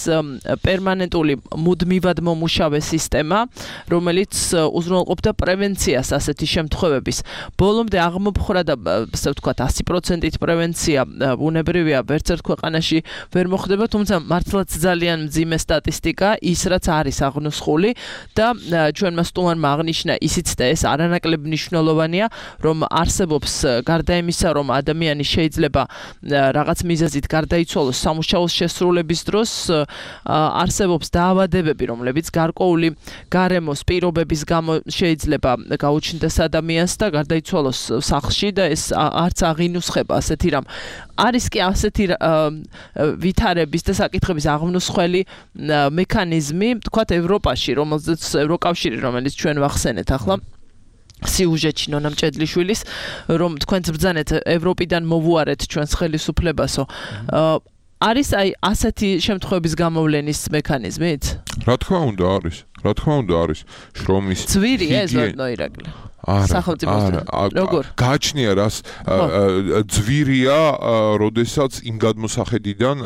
პერმანენტული მუდმივად მომუშავე სისტემა, რომელიც უზრუნველყოფდა პრევენციას ასეთი შემთხვევების. ბოლომდე აღმოფხვრა და ასე ვთქვათ 100%-ით პრევენცია ბუნებრივია ვერც ერთ ქვეყანაში ვერ მოხდება, თუმცა მართლაც ძალიან მძიმე სტატისტიკა ის რაც არის აღნუსხული და ჩვენმა სტუმარმა აღნიშნა ისიც და ეს არანაკლებ მნიშვნელოვანია, რომ არსებობს გარდა იმისა, რომ ადამიანი შეიძლება რაღაც მიზეზით გარდაიცვალოს სამუშაოს შესრულების დროს, არსებობს დაავადებები, რომლებიც გარკვეული გარემოს პირობების გამო შეიძლება გაუჩნდეს ადამიანს და გარდაიცვალოს სახლში და ეს არც აღინუსხება ასეთი რამ. არის კი ასეთი ვითარების და საკითხების აღნუსხველი მექანიზმი, თქვათ ევროპაში, რომელზეც ევროკავშირი, რომელიც ჩვენ ვახსენეთ ახლა სიუჟეტში ნონა მჭედლიშვილის, რომ თქვენც ბრძანეთ ევროპიდან მოვუარეთ ჩვენს ხელისუფლებასო. არის აი ასეთი შემთხვევების გამოვლენის მექანიზმით? რა თქმა უნდა არის. რა თქმა უნდა არის. შრომის ძვირია ეს ირაკლი. გააჩნია რას ძვირია, როდესაც იმ გადმოსახედიდან,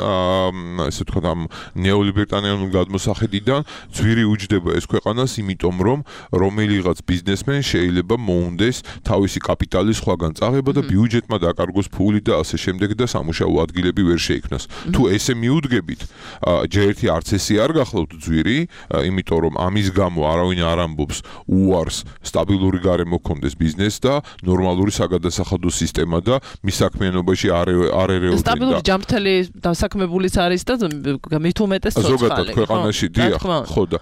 ესე ვთქვათ, ამ ნეოლიბერტანიანულ გადმოსახედიდან ძვირი უჯდება ეს ქვეყანას, იმიტომ რომ რომელიღაც ბიზნესმენ შეიძლება მოუნდეს თავისი კაპიტალის სხვაგან წაღება და ბიუჯეტმა დაკარგოს ფული და ასე შემდეგ და სამუშაო ადგილები ვერ შეიქმნას. თუ ესე მიუდგებით, ჯერ ერთი არც ესე არ გახლავთ ძვირი, იმიტომ რომ ამის გამო არავინ არ ამბობს უარს სტაბილური გარემოს არ მოქონდეს ბიზნესს და ნორმალური საგადასახადო სისტემა და მის საქმიანობაში არ ერეოდნენ. სტაბილური ჯანმრთელი დასაქმებულიც არის და მით უმეტეს ცოცხალი. ზოგადად ქვეყანაში დიახ, ხო და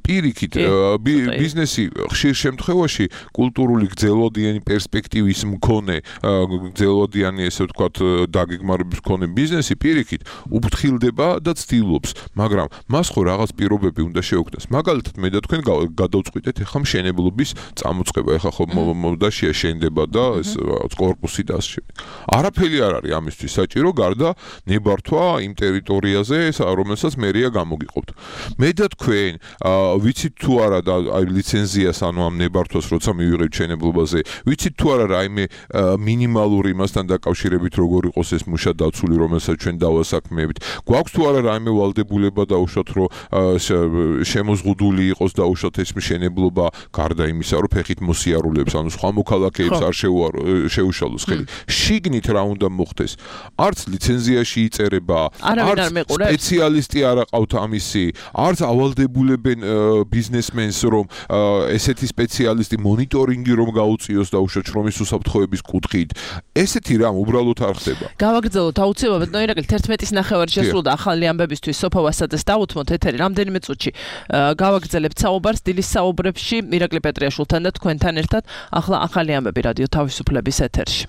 პირიქით ბიზნესი ხშირ შემთხვევაში კულტურული გრძელვადიანი პერსპექტივის მქონე გრძელვადიანი ესე ვთქვათ დაგეგმარების მქონე ბიზნესი პირიქით უფრთხილდება და ცდილობს, მაგრამ მას ხო რაღაც პირობები უნდა შეუქმნას. მაგალითად მე და თქვენ გადავწყვიტეთ ახლა მშენებლობის წამოწყება, ახლა ხო მომდაშია შენდება და ეს კორპუსი და ასე. არაფერი არ არის ამისთვის საჭირო გარდა ნებართვა იმ ტერიტორიაზე, რომელსაც მერია გამოგიყოფთ. მე და თქვენ ვიცით თუ არა და აი ლიცენზიას ანუ ამ ნებართვას როცა მივიღებთ შენებლობაზე, ვიცით თუ არა რაიმე მინიმალური იმასთან დაკავშირებით როგორ იყოს ეს მუშა დაცული, რომელსაც ჩვენ დავასაქმეებით. გვაქვს თუ არა რაიმე ვალდებულება დაუშვათ რომ შემოზღუდული იყოს დაუშვათ ეს მშენებლობა გარდა იმისა რომ ფეხით მოსიარულებს ანუ სხვა მოქალაქეებს არ შეუშალოს ხელი. შიგნით რა უნდა მოხდეს? არც ლიცენზიაში იწერება, არც სპეციალისტი არ აყავთ ამისი, არც ავალდებულებენ ბიზნესმენს რომ ესეთი სპეციალისტი მონიტორინგი რომ გაუწიოს დაუშვათ შრომის უსაფრთხოების კუთხით. ესეთი რამ უბრალოდ არ ხდება. გავაგრძელოთ აუცილებლად ბატონო ირაკლი 11-ის ნახევარი შესრულდა ახალი ამბებისთვის სოფო ვასაძეს დავუთმოთ ეთერი რამდენიმე წუთში გავაგრძელებთ საუბარს დილის საუბრებში ირაკლი პეტრიაშვილთან და თქვენთან ერთად ახლა ახალი ამბები რადიო თავისუფლების ეთერში.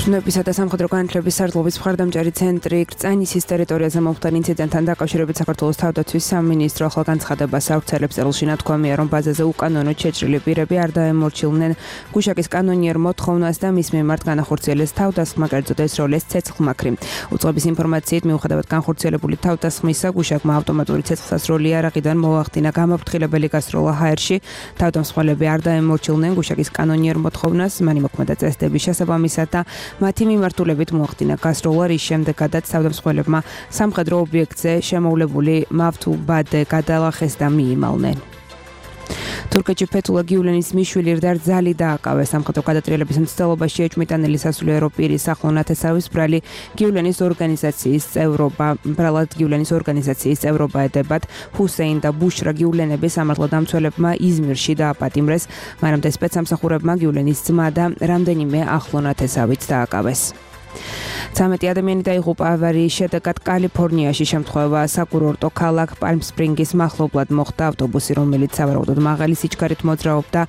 ჩნებისა და სამხედრო განათლების სარდლობის მხარდამჭერი ცენტრი კრწანისის ტერიტორიაზე მომხდარ ინციდენტთან დაკავშირებით საქართველოს თავდაცვის სამინისტრო ახლა განცხადებას ავრცელებს. წელში ნათქვამია, რომ ბაზაზე უკანონოდ შეჭრილი პირები არ დაემორჩილნენ გუშაკის კანონიერ მოთხოვნას და მის მიმართ განახორციელეს თავდასხმა, კერძოდ ეს როლეს ცეცხლმაქრი. უწყების ინფორმაციით მიუხედავად განხორციელებული თავდასხმისა, გუშაკმა ავტომატური ცეცხლსასროლი არაღიდან მოახდინა გამაფრთხილებელი გასროლა ჰაერში. თავდამსხმელები არ დაემორჩილნენ გუშაკის კანონიერ მოთხოვნას, მან იმოქმედა წესდების შესაბამისად და მათი მიმართულებით მოახდინა გასროლა, რის შემდეგაც თავდამსხმელებმა სამხედრო ობიექტზე შემოვლებული მავთუბადე გადალახეს და მიიმალნენ. თურქეთში ფეთულა გიულენის მიშვილი რდარძალი დააკავეს. სამხედრო გადატრიალების მცდელობაში ეჭვმიტანილი სასულიერო პირის ახლო ნათესავის ბრალი გიულენის ორგანიზაციის წევრობა ედებათ. ჰუსეინ და ბუშრა გიულენები სამართლოდამცველებმა იზმირში დააპატიმრეს, მანამდე სპეცსამსახურებმა გიულენის ძმა და რამდენიმე ახლო ნათესავით დააკავეს. 13 ადამიანი დაიღუპა ავარიის შედეგად კალიფორნიაში. შემთხვევა საკურორტო ქალაქ პალმ-სპრინგის მახლობლად მოხდა. ავტობუსი, რომელიც სავარაუდოდ მაღალი სიჩქარით მოძრაობდა,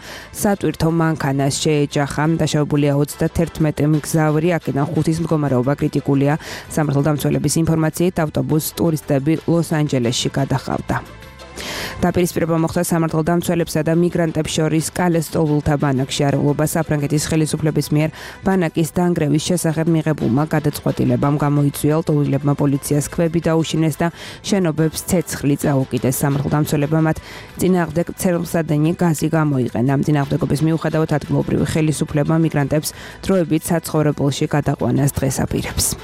სატვირთო მანქანას შეეჯახა. დაშავებულია 31 მგზავრი, აქედან 5-ის მდგომარეობა კრიტიკულია. სამართლდამცველების ინფორმაციით ავტობუსს ტურისტები ლოს-ანჯელესში გადაჰყავდა. დაპირისპირება მოხდა სამართლდამცველებსა და მიგრანტებს შორის კალეს სტოლულთა ბანაკში. არაულობა საფრანგეთის ხელისუფლების მიერ ბანაკის დანგრევის შესახებ მიღებულმა გადაწყვეტილებამ გამოიწვია. ლტოლვილებმა პოლიციას ქვები დაუშინეს და შენობებს ცეცხლი წაუკიდეს. სამართლდამცველებმა მათ წინააღმდეგ ცერლსადენი გაზი გამოიყენა. წინააღმდეგობის მიუხედავად ადგილობრივი ხელისუფლება მიგრანტებს დროებით საცხოვრებელში გადაყვანას დღეს აპირებს.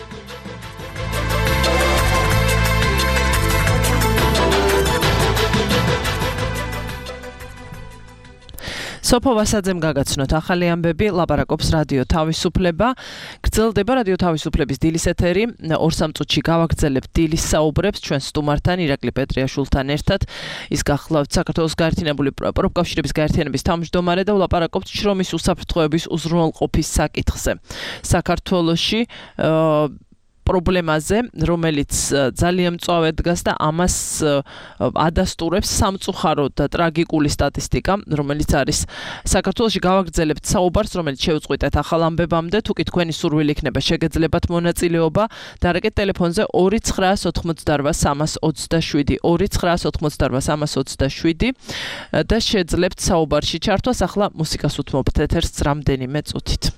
სოფო ვასაძემ გაგაცნოთ ახალი ამბები, ლაპარაკობს რადიო თავისუფლება. გრძელდება რადიო თავისუფლების დილის ეთერი. 2-3 წუთში გავაგრძელებთ დილის საუბრებს ჩვენ სტუმართან ირაკლი პეტრიაშვილთან ერთად. ის გახლავთ საქართველოს გაერთიანებული პროფკავშირების გაერთიანების თავმჯდომარე და ვლაპარაკობთ შრომის უსაფრთხოების უზრუნველყოფის საკითხზე. საქართველოში პრობლემაზე, რომელიც ძალიან მწვავედ დგას და ამას ადასტურებს სამწუხაროდ და ტრაგიკული სტატისტიკა, რომელიც არის საქართველოში. გავაგრძელებთ საუბარს, რომელიც შევწყვიტეთ ახალ ამბებამდე. თუ კი თქვენი სურვილი იქნება, შეგეძლებათ მონაწილეობა. დარეკეთ ტელეფონზე 298-327 298-327 და შეძლებთ საუბარში ჩართვას. ახლა მუსიკას უთმობთ ეთერს რამდენიმე წუთით.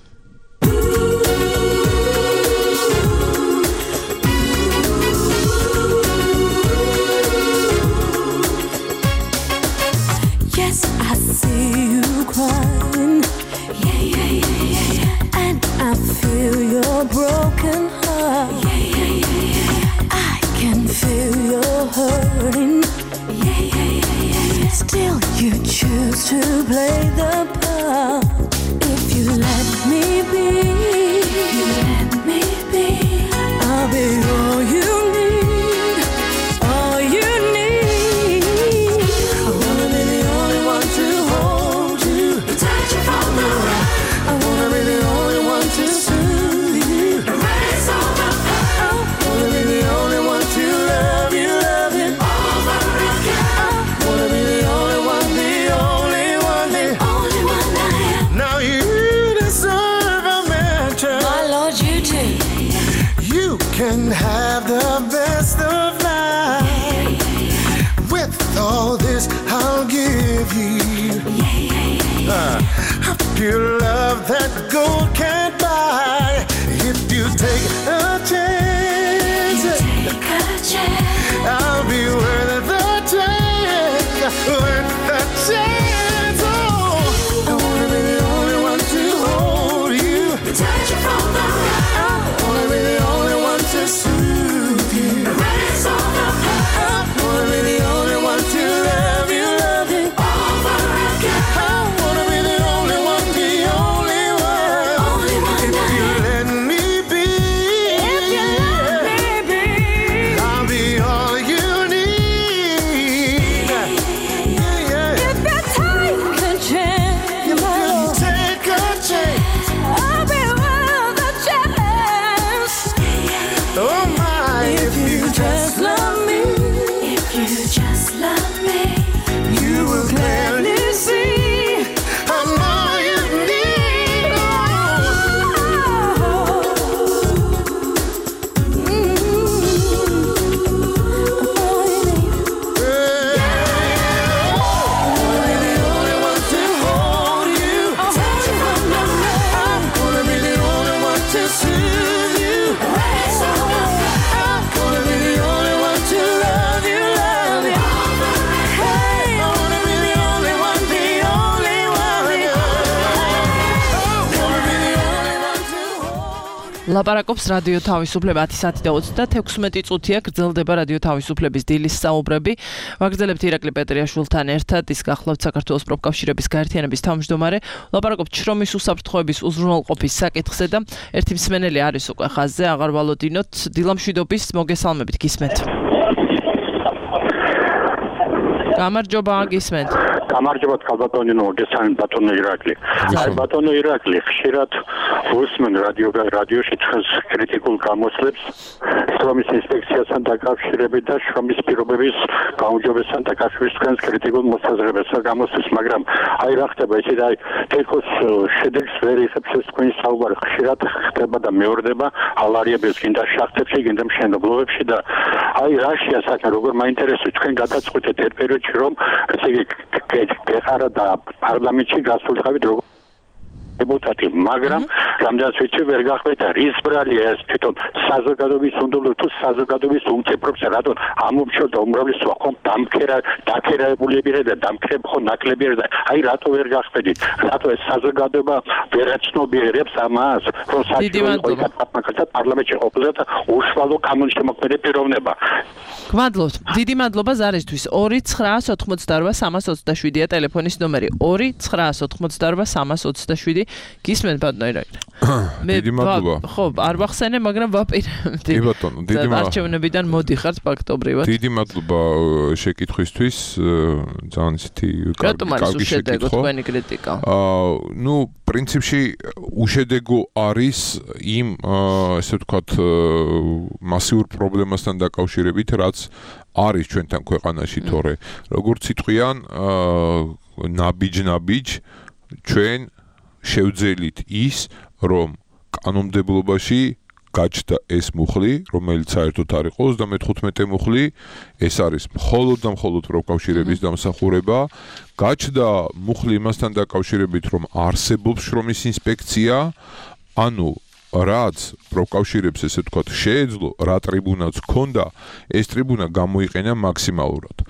I see you crying, and I feel your broken heart. I can feel your hurting. Still you choose to play the part. If you let me be, I'll be all you need. can have the best of life. With all this, I'll give you a pure love that gold can't buy. If you take a chance, I'll be worth the chance, worth the chance. Oh, I wanna be the only one to hold you, touch you from the right. I wanna be the only one to soothe you, erase all the pain. I wanna be the only one to love you over again. I wanna be the only one, the only one. If you let me be, I'll be all you need. Yeah. If you take a chance, I'll be worth the chance. Oh my, if you just love me, you will clearly see I'm all you need. ლაპარაკობს რადიო თავისუფლება 10:36 წუთია გრძელდება რადიო თავისუფლების დილის საუბრები. ვაგრძელებთ ირაკლი პეტრიაშვილთან ერთად, ის გახლავთ საქართველოს პროფკავშირების გაერთიანების თავმჯდომარე. ლაპარაკობთ შრომის უსაფრთხოების უზრუნველყოფის საკითხზე და ერთი მსმენელი არის უკვე ხაზზე, აღარ ვალოდინოთ. დილამშვიდობის მოგესალმებით, გისმენთ. გამარჯობა, გისმენთ. გამარჯობა ქალბატონო, მოგესალმებით ბატონო ირაკლი. აი ბატონო ირაკლი, ხშირად უსმენ რადიოში თქვენს კრიტიკულ გამოსვლებს შრომის ინსპექციასთან დაკავშირებით და შრომის პირობების გაუმჯობესებასთან დაკავშირებით თქვენს კრიტიკულ მოსაზრებებს გამოსვლებს, მაგრამ აი რა ხდება ისე და აი თითქოს შედეგს ვერ იღებს ეს თქვენი საუბარი, ხშირად ხდება და მეორდება ალარიებებს გინდა შახტებში, გინდა მშენებლობებში და აი რაშია საქმე, როგორ მაინტერესებს თქვენ გადაწყვეტეთ ერთ პერიოდში რომ ესე იგი გეხარა და პარლამენტში გასულიყავით როგორ deputati, მაგრამ რამდენიც ვიცი ვერ გახმეთა რის ბრალია ეს თვითონ საზოგადოების უნდობლო თუ საზოგადოების უმწევრობს რატომ ამომრჩევდა უმრავლესობა ხომ დაქერაებულებია და დამქრებხო ნაკლებია და აი რატო ვერ გახმედით რატო ეს საზოგადოება ვერ აცნობიერებს ამას რომ საჭიროა პარლამენტში ყოფილიყო უშუალო კანონშემოქმედი პიროვნება. გმადლობთ. დიდი მადლობა ზარისთვის. 2-988-327-ია ტელეფონის ნომერი. 2-988-327 გისმენთ ბატონო ირაკლი. დიდი მადლობა. ხო, არ ვახსენე, მაგრამ ვაპირებდი. კი ბატონო, დიდი მადლობა. არჩევნებიდან მოდიხართ ფაქტობრივად. დიდი მადლობა შეკითხვისთვის. ძალიან ისეთი კარგი შეკითხვა. თქვენი კრიტიკა. ნუ პრინციპში უშედეგო არის იმ ესე ვთქვათ მასიურ პრობლემასთან დაკავშირებით, რაც არის ჩვენთან ქვეყანაში, თორე როგორც იტყვიან ნაბიჯ ჩვენ შევძელით ის, რომ კანონმდებლობაში გაჩნდა ეს მუხლი, რომელიც საერთოდ არ იყო 35 მუხლი, ეს არის მხოლოდ და მხოლოდ პროფკავშირების დამსახურება. გაჩნდა მუხლი იმასთან დაკავშირებით, რომ არსებობს შრომის ინსპექცია, ანუ რაც პროფკავშირებს ესე ვთქვათ შეეძლო, რა ტრიბუნაც ჰქონდა, ეს ტრიბუნა გამოიყენა მაქსიმალურად.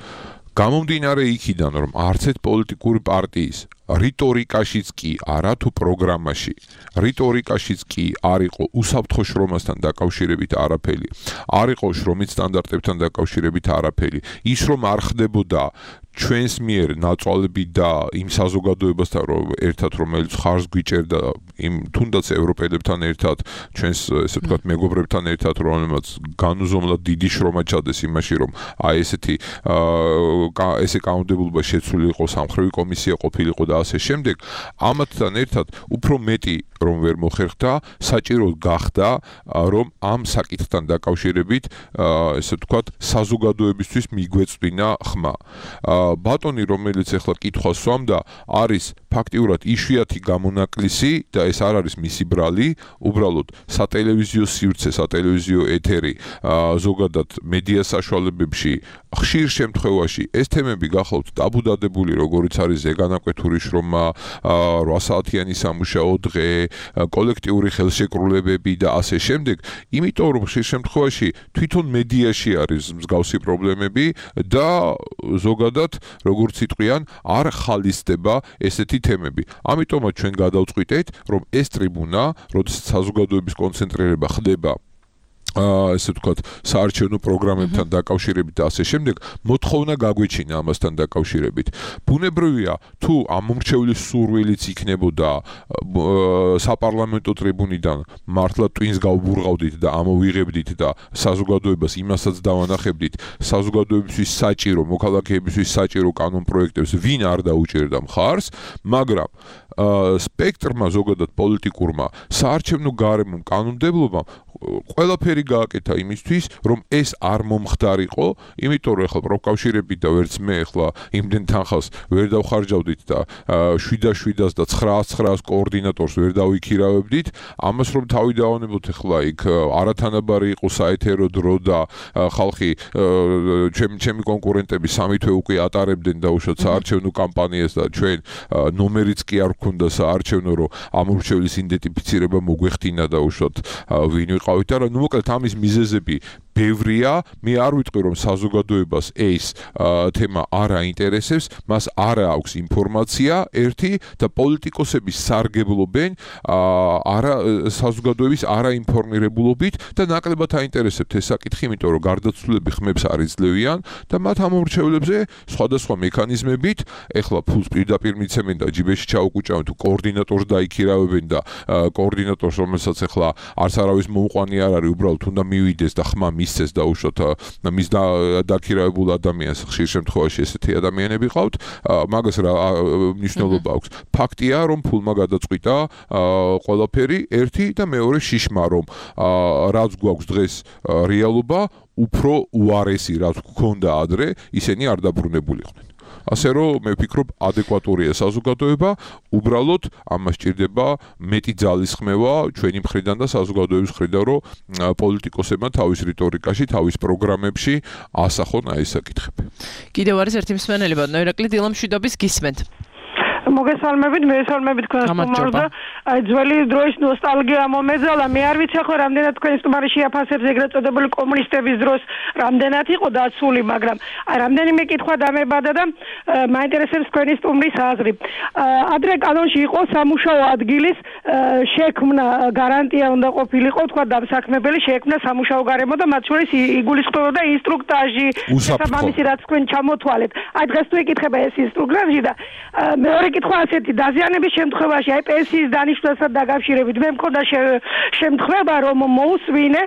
გამომდინარე იქიდან, რომ არც ერთ პოლიტიკური პარტიის რიტორიკაშიც კი არა თუ პროგრამაში რიტორიკაშიც კი არ იყო უსაფრთხო შრომასთან დაკავშირებით არაფერი, არ იყო შრომის სტანდარტებთან დაკავშირებით არაფერი, ის რომ არ ხდებოდა ჩვენს მიერ ნაწვალები და იმ საზოგადოებასთან ერთად რომელიც ხარს გვიჭერდა იმ თუნდაც ევროპელებთან ერთად ჩვენს ესე ვთქვათ მეგობრებთან ერთად რომელმაც განუზომლად დიდი შრომა ჩადეს იმაში რომ აი ესეთი ესე კანონმდებლობა შეცვლილი იყო სამხრივი კომისია ყოფილიყო და ასე შემდეგ ამათთან ერთად უფრო მეტი რომ ვერ მოხერხდა საჭირო გახდა რომ ამ საკითხთან დაკავშირებით ესე ვთქვათ საზოგადოებისთვის მიგვეწვინა ხმა ბატონი რომელიც ახლა კითხვას სვამდა არის ფაქტიურად იშვიათი გამონაკლისი და ეს არ არის მისი ბრალი, უბრალოდ სატელევიზიო სივრცე, სატელევიზიო ეთერი, ზოგადად მედია საშუალებებში ხშირ შემთხვევაში ეს თემები გახლავთ ტაბუდადებული, როგორც არის ზეგანაკვეთური შრომა, 8 საათიანი სამუშაო დღე, კოლექტიური ხელშეკრულებები და ასე შემდეგ, იმიტომ რომ ხშირ შემთხვევაში თვითონ მედიაში არის მსგავსი პრობლემები და ზოგადად როგორც იტყვიან, არ ხალისდება ესეთი თემები. ამიტომაც ჩვენ გადავწყვიტეთ, რომ ეს ტრიბუნა, როდესაც საზოგადოების კონცენტრირება ხდება ესე ვთქვათ, საარჩევნო პროგრამებთან დაკავშირებით და ასე შემდეგ, მოთხოვნა გაგვეჩინა ამასთან დაკავშირებით. ბუნებრივია, თუ ამომრჩევლის სურვილიც იქნებოდა საპარლამენტო ტრიბუნიდან მართლა ტვინს გავბურღავდით და ამოვიღებდით და საზოგადოებას იმასაც დავანახებდით, საზოგადოებისთვის საჭირო, მოქალაქეებისთვის საჭირო კანონპროექტებს ვინ არ დაუჭერდა მხარს, მაგრამ სპექტრმა ზოგადად პოლიტიკურმა საარჩევნო გარემომ კანონმდებლობამ ყველაფერი გააკეთა იმისთვის, რომ ეს არ მომხდარიყო, იმიტომ რომ ახლა პროფკავშირები და ვერც მე ახლა იმდენ თანხას ვერ დავხარჯავდით და 7-700 და 900 კოორდინატორს ვერ დავიქირავებდით, ამას რომ თავი დავანებოთ ახლა იქ არათანაბარი იყო საეთერო დრო და ხალხი ჩემი კონკურენტები 3 თვე უკვე ატარებდნენ დაუშვათ საარჩევნო კამპანიას და ჩვენ ნომერიც კი არ გქონდა საარჩევნო, რომ ამორჩევლის იდენტიფიცირება მოგვეხდინა დაუშვათ ვინ ვიყავით და ნუ მოკლედ ამის მიზეზები ბევრია, მე არ ვიტყვი რომ საზოგადოებას ეს თემა არ აინტერესებს, მას არ აქვს ინფორმაცია ერთი და პოლიტიკოსები სარგებლობენ საზოგადოების არაინფორმირებულობით და ნაკლებად აინტერესებთ ეს საკითხი, იმიტომ რომ გარდაცვლილები ხმებს არ იძლევიან და მათ ამორჩევლებზე სხვადასხვა მექანიზმებით, ეხლა ფულს პირდაპირ მიცემენ და ჯიბეში ჩაუკუჭავენ თუ კოორდინატორს დაიქირავებენ და კოორდინატორს რომელსაც ეხლა არც არავის მოუყვანი არ არის, უბრალოდ უნდა მივიდეს და ხმა მისცეს დაუშვათ მის დაქირავებულ ადამიანს ხშირ შემთხვევაში ესეთი ადამიანები ყავთ, მაგას რა მნიშვნელობა აქვს. ფაქტია, რომ ფულმა გადაწყვიტა ყველაფერი ერთი და მეორე შიშმა, რომ რაც გვაქვს დღეს რეალობა, უფრო უარესი რაც გქონდა ადრე, ისინი არ დაბრუნებულიყვნენ. ასე რომ მე ვფიქრობ ადეკვატურია საზოგადოება, უბრალოდ ამას ჭირდება მეტი ძალის ხმევა ჩვენი მხრიდან და საზოგადოების მხრიდან, რომ პოლიტიკოსებმა თავის რიტორიკაში, თავის პროგრამებში ასახონ აი ეს საკითხები. კიდევ არის ერთი მსმენელი ბატონო ირაკლი დილამშვიდობის გისმენთ. მოგესალმებით, მესალმებით თქვენს სტუმარს და აი ძველი დროის ნოსტალგია მომეძალა. მე არ ვიცი ახლა რამდენად თქვენ სტუმარი შეაფასებს ეგრეთ წოდებული კომუნისტების დროს რამდენად იყო დაცული, მაგრამ აი რამდენიმე კითხვა დამებადა და მაინტერესებს თქვენი სტუმრის აზრი. ადრე კანონში იყო სამუშაო ადგილის შექმნა გარანტია უნდა ყოფილიყო, თქვა დამსაქმებელი შექმნა სამუშაო გარემო და მათ შორის იგულისხმებოდა ინსტრუქტაჟი, შესაბამისი რაც თქვენ ჩამოთვალეთ. აი დღეს თუ იკითხება ეს ინსტრუქტაჟი და მეორე კითხვა ასეთი, დაზიანების შემთხვევაში აი პენსიის დანიშვნასთან დაკავშირებით მე მქონდა შემთხვევა, რომ მოусვინე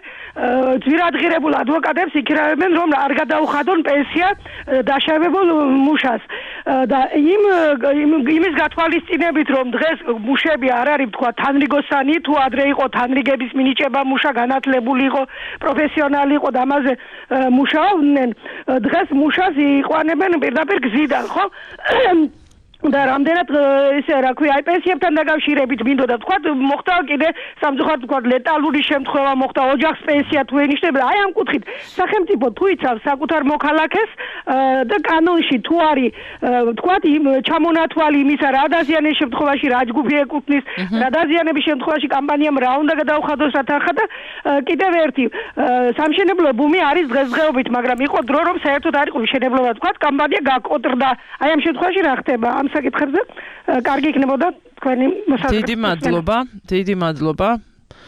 ძვირადღირებულ ადვოკატებს იქირავებენ, რომ არ გადაუხადონ პენსია დაშავებულ მუშას და იმის გათვალისწინებით, რომ დღეს მუშები არ არის თქვა თანრიგოსანი, თუ ადრე იყო თანრიგების მინიჭება მუშა განათლებული იყო, პროფესიონალი იყო და ამაზე მუშაობდნენ, დღეს მუშას იყვანებენ პირდაპირ გზიდან, ხო? და რამდენად ესე რა ქვია, აი პენსიებთან დაკავშირებით მინდოდა თქვა, მოხდა კიდე სამწუხაროდ თქვა ლეტალური შემთხვევა მოხდა, ოჯახს პენსია თუ ენიშნება, აი ამ კუთხით სახელმწიფო თუ იცავს საკუთარ მოქალაქეს და კანონში თუ არის თქვა ჩამონათვალი იმისა, რა დაზიანების შემთხვევაში რა ჯგუფი ეკუთვნის, რა დაზიანების შემთხვევაში კამპანიამ რა უნდა გადაუხადოს რა თანხა და კიდევ ერთი სამშენებლო ბუმი არის დღესდღეობით, მაგრამ იყო დრო რომ საერთოდ არ იყო მშენებლობა თქვა, კამპანია გაკოტრდა. აი ამ შემთხვევაში რა ხდება? ამ საკითხებზე კარგი იქნებოდა თქვენი მოსაზრება. დიდი მადლობა.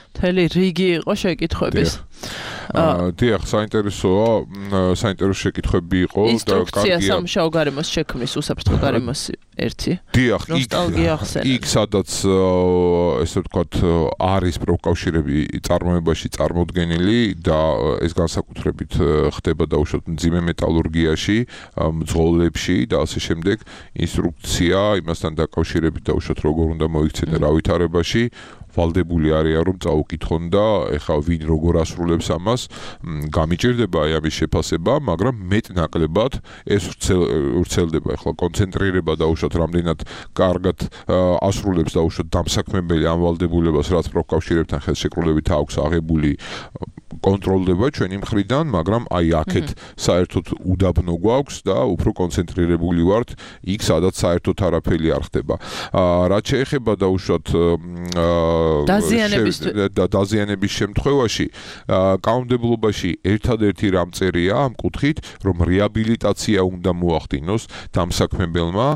მთელი რიგი იყო შეკითხვების. დიახ, საინტერესო შეკითხვები იყო და ინსტრუქცია სამუშაო გარემოს შექმნის უსაფრთხო გარემოს ერთი. დიახ, ნოსტალგია ახსენე. იქ სადაც ესე ვთქვათ არის პროფკავშირები წარმოებაში წარმოდგენილი და ეს განსაკუთრებით ხდება დაუშვათ მძიმე მეტალურგიაში, მძღოლებში და ასე შემდეგ, ინსტრუქცია იმასთან დაკავშირებით დაუშვათ როგორ უნდა მოიქცენ რა ვითარებაში ვალდებული არიან რომ წაუკითხონ და ეხლა ვინ როგორ ასრულებს ამას გამიჭირდება აი ამის შეფასება, მაგრამ მეტ-ნაკლებად ეს ვრცელდება ეხლა კონცენტრირება დაუშვათ რამდენად კარგად ასრულებს დაუშვათ დამსაქმებელი ამ ვალდებულებას, რაც პროფკავშირებთან ხელშეკრულებით აქვს აღებული კონტროლდება ჩვენი მხრიდან, მაგრამ აი აქეთ საერთოდ უდაბნო გვაქვს და უფრო კონცენტრირებული ვართ იქ, სადაც საერთოდ არაფერი არ ხდება. რაც შეეხება დაუშვათ დაზიანების შემთხვევაში, კანონმდებლობაში ერთადერთი რამ წერია ამ კუთხით, რომ რეაბილიტაცია უნდა მოახდინოს დამსაქმებელმა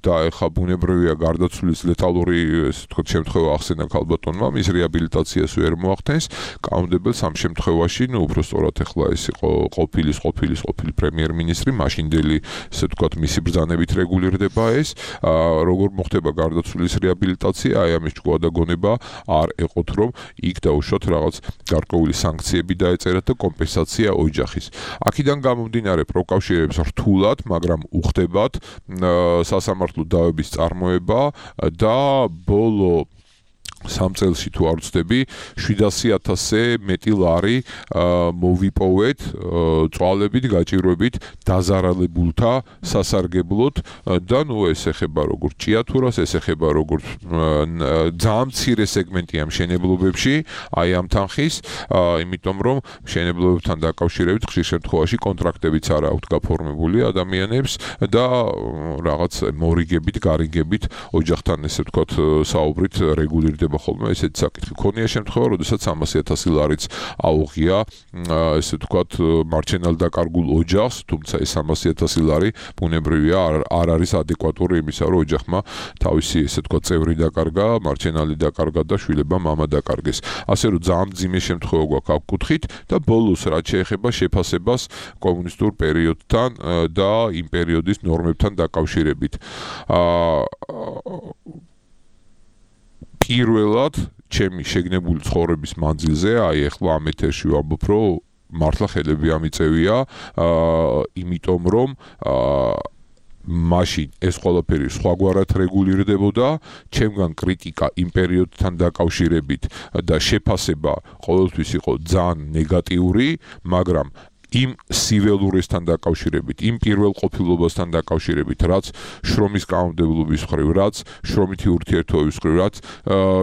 და ეხლა ბუნებრივია გარდაცვლის ლეტალური ესე ვთქვათ შემთხვევა ახსენა ქალბატონმა, მის რეაბილიტაციას ვერ მოახდენს. კანონმდებელს ამ შემთხვევაში, უფრო სწორად ეხლა ეს იყო ყოფილი პრემიერ-მინისტრი, მაშინდელი ესე ვთქვათ მისი ბრძანებით რეგულირდება ეს, როგორ მოხდება გარდაცვლის რეაბილიტაცია, აი ამის ჭკუადაგონება არ ეყოთ, რომ იქ დაუშვათ რაღაც გარკვეული სანქციები დაეწერათ და კომპენსაცია ოჯახის. აქედან გამომდინარე პროკავშირებს რთულად, მაგრამ უხდებათ სასამართლო დავების წარმოება და ბოლო 3 წელში თუ არ ვცდები 700,000-ზე მეტი ლარი მოვიპოვეთ წვალებით, გაჭირვებით დაზარალებულთა სასარგებლოდ და ნუ ეს ეხება როგორც ჭიათურას, ეს ეხება როგორც ძალიან მცირე სეგმენტია მშენებლობებში, აი ამ თანხის, იმიტომ რომ მშენებლობებთან დაკავშირებით ხშირ შემთხვევაში კონტრაქტებიც არ აქვთ გაფორმებული ადამიანებს და რაღაც მორიგებით, გარიგებით ოჯახთან ესე ვთქვათ საუბრით რეგულირდება ხოლმე ესეთი საკითხი. ქონია შემთხვევა, როდესაც 300,000 ლარიც აუღია ესე ვთქვათ მარჩენალ დაკარგულ ოჯახს, თუმცა ეს 300,000 ლარი ბუნებრივია არ არის ადეკვატური იმისა, რომ ოჯახმა თავისი ესე ვთქვათ წევრი დაკარგა, მარჩენალი დაკარგა და შვილებმა მამა დაკარგეს. ასე რომ ძალიან მძიმე შემთხვევა გვაქვს ამ კუთხით და ბოლოს რაც შეეხება შეფასებას კომუნისტურ პერიოდთან და იმ პერიოდის ნორმებთან დაკავშირებით. პირველად ჩემი შეგნებული ცხოვრების მანძილზე, აი ეხლა ამ ეთერში ვამბობ, რომ მართლა ხელები ამიწევია, იმიტომ რომ მაშინ ეს ყველაფერი სხვაგვარად რეგულირდებოდა, ჩემგან კრიტიკა იმ პერიოდთან დაკავშირებით და შეფასება ყოველთვის იყო ძალიან ნეგატიური, მაგრამ იმ სიველურესთან დაკავშირებით, იმ პირველყოფილობასთან დაკავშირებით, რაც შრომის კანონმდებლობის მხრივ, რაც შრომითი ურთიერთობების მხრივ, რაც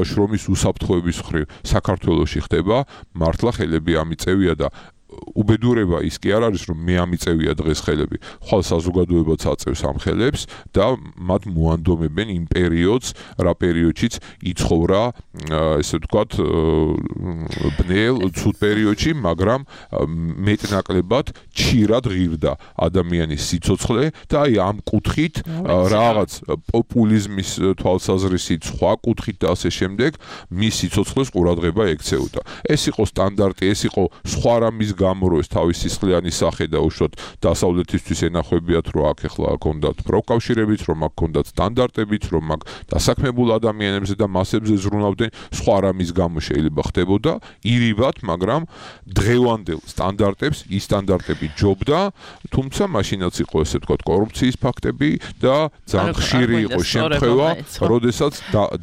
შრომის უსაფრთხოების მხრივ საქართველოში ხდება, მართლა ხელები ამიწევია და უბედურება ის კი არ არის, რომ მე ამიწევია დღეს ხელები. ხვალ საზოგადოებაც აწევს ამ ხელებს და მათ მოანდომებენ იმ პერიოდს, რა პერიოდშიც იცხოვრა, ესე ვთქვათ, ბნელ, ცუდ პერიოდში, მაგრამ მეტ-ნაკლებად ჩირად ღირდა ადამიანის სიცოცხლე და აი ამ კუთხით რაღაც პოპულიზმის თვალსაზრისით, სხვა კუთხით და ასე შემდეგ, მის სიცოცხლეს ყურადღება ექცეოდა. ეს იყო სტანდარტი, ეს იყო სხვა რამის გამო რომ ეს თავის სისხლიანი სახე და უშუალოდ დასავლეთისთვის ენახვებიათ, რომ აქ ეხლა ჰქონდათ პროფკავშირებიც, რომ აქ ჰქონდათ სტანდარტებიც, რომ აქ დასაქმებულ ადამიანებზე და მასებზე ზრუნავდნენ, სხვა რამის გამო შეიძლება ხდებოდა ირიბად, მაგრამ დღევანდელ სტანდარტებს ის სტანდარტები ჯობდა, თუმცა მაშინაც იყო ესე ვთქვათ კორუფციის ფაქტები და ძალიან ხშირი იყო შემთხვევა, როდესაც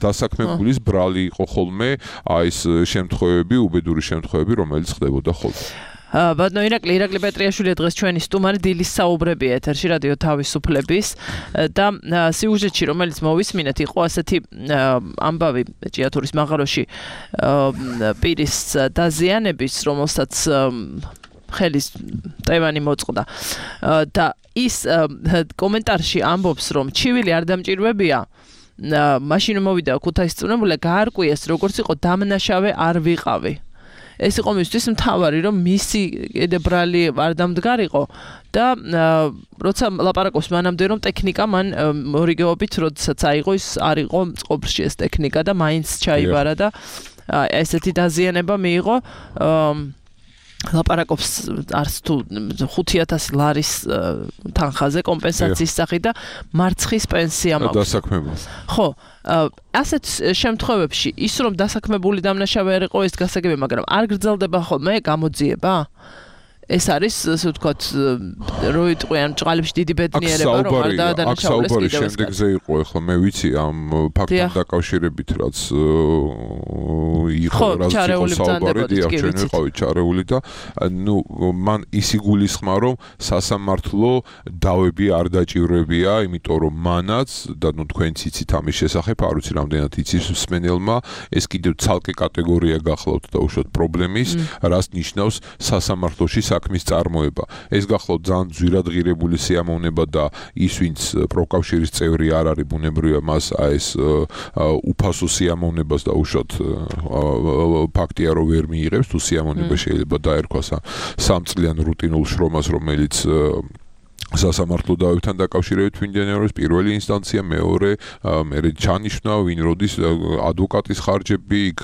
დასაქმებულის ბრალი იყო ხოლმე აი ეს შემთხვევები, უბედური შემთხვევები, რომელიც ხდებოდა ხოლმე. ბატონო ირაკლი პეტრიაშვილი დღეს ჩვენი სტუმარი დილის საუბრები ეთერში რადიო თავისუფლების და სიუჟეტში რომელიც მოვისმინეთ იყო ასეთი ამბავი ჭიათურის მაღაროში პირის დაზიანების, რომელსაც ხელის ტევანი მოწყდა და ის კომენტარში ამბობს, რომ ჩივილი არ დამჭირვებია, მაშინ მოვიდა ქუთაისის წვნებულა გაარკვიეს, როგორც იყო დამნაშავე არ ვიყავი. ეს იყო მისთვის მთავარი, რომ მისი ბრალი არ დამდგარიყო და როცა ლაპარაკობს მანამდე, რომ ტექნიკა მან მორიგეობით, როდესაც აიღო, ის არ იყო წყობრში ეს ტექნიკა და მაინც ჩაიბარა და ესეთი დაზიანება მიიღო. ლაპარაკობს არც თუ 5,000 ლარის თანხაზე კომპენსაციის სახით და მარცხის პენსია მაქვს. დასაქმებული. ხო, ასეთ შემთხვევებში ის რომ დასაქმებული დამნაშავე არ იყო ეს გასაგები, მაგრამ არ გრძელდება ხოლმე გამოძიება? ეს არის ასე ვთქვათ რო იტყვიან ჭყალებში დიდი ბედნიერება რომ არ დაადანაშაულეს კიდევ ეს შემდეგზე იყო ახლა მე ვიცი ამ ფაქტთან დაკავშირებით რაც იყო რაც იყო საუბარი დიახ ჩვენ ვიყავით ჩარეული და ნუ მან ის იგულისხმა რომ სასამართლო დავები არ დაჭირებია იმიტომ რომ მანაც და ნუ თქვენც იცით ამის შესახებ არ ვიცი რამდენად იცის მსმენელმა ეს კიდევ ცალკე კატეგორია გახლავთ და უშუალოდ პრობლემის რას ნიშნავს სასამართლოში საქმის წარმოება. ეს გახლავთ ძალიან ძვირადღირებული სიამოვნება და ის ვინც პროკავშირის წევრი არ არის ბუნებრივია მას ეს უფასო სიამოვნებას და უშუალოდ ფაქტია რომ ვერ მიიღებს თუ სიამოვნება შეიძლება დაერქვას სამწლიან რუტინულ შრომას რომელიც სასამართლო დავებთან დაკავშირებით მიმდინარეობს პირველი ინსტანცია მეორე მე ჩანიშნა ვინ როდის ადვოკატის ხარჯები იქ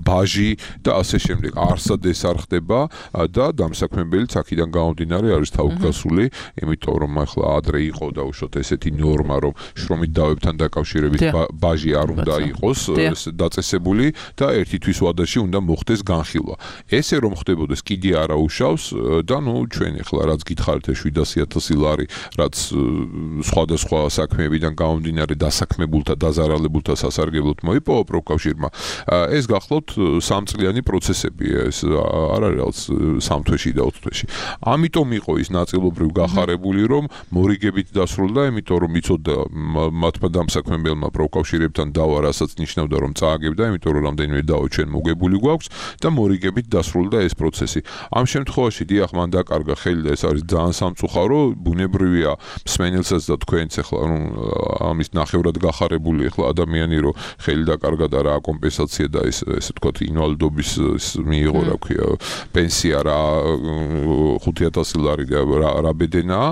ბაჟი და ასე შემდეგ არსად ეს არ ხდება და დამსაქმებელი აქედან გამომდინარე არის თავგასული იმიტომ რომ ახლა ადრე იყო და უშუალოდ ესეთი ნორმა რომ შრომით დავებთან დაკავშირებით ბაჟი არ უნდა იყოს დაწესებული და ერთი თვის ვადაში უნდა მოხდეს განხილვა ესე რომ ხდებოდეს კიდე არა უშავს და ნუ ჩვენ ახლა რაც გითხარით 700,000 ლარი რაც სხვადასხვა საქმეებიდან გამომდინარე დასაქმებულთა დაზარალებულთა სასარგებლოდ მოიპოვა პროკავშირმა ეს გახლავთ სამწლიანი პროცესები ეს არ არის რაღაც 3 თვეში და 4 თვეში ამიტომ იყო ის ნაწილობრივ გახარებული რომ მორიგებით დასრულდა იმიტომ რომ იცოდა მათმა დამსაქმებელმა პროკავშირებთან დავა რასაც ნიშნავდა რომ წააგებდა იმიტომ რომ რამდენიმე დავა ჩვენ მოგებული გვაქვს და მორიგებით დასრულდა ეს პროცესი ამ შემთხვევაში დიახ მან დაკარგა ხელი და ეს არის ძალიან სამწუხარო ბუნებრივია მსმენელსაც და თქვენც ახლა რომ ამის ნახევრად გახარებული ახლა ადამიანი რომ ხელი დაკარგა და რა კომპენსაცია და ესე ვთქვათ ინვალიდობის მიიღო რა ქვია პენსია რა 5,000 ლარი რა ბედენაა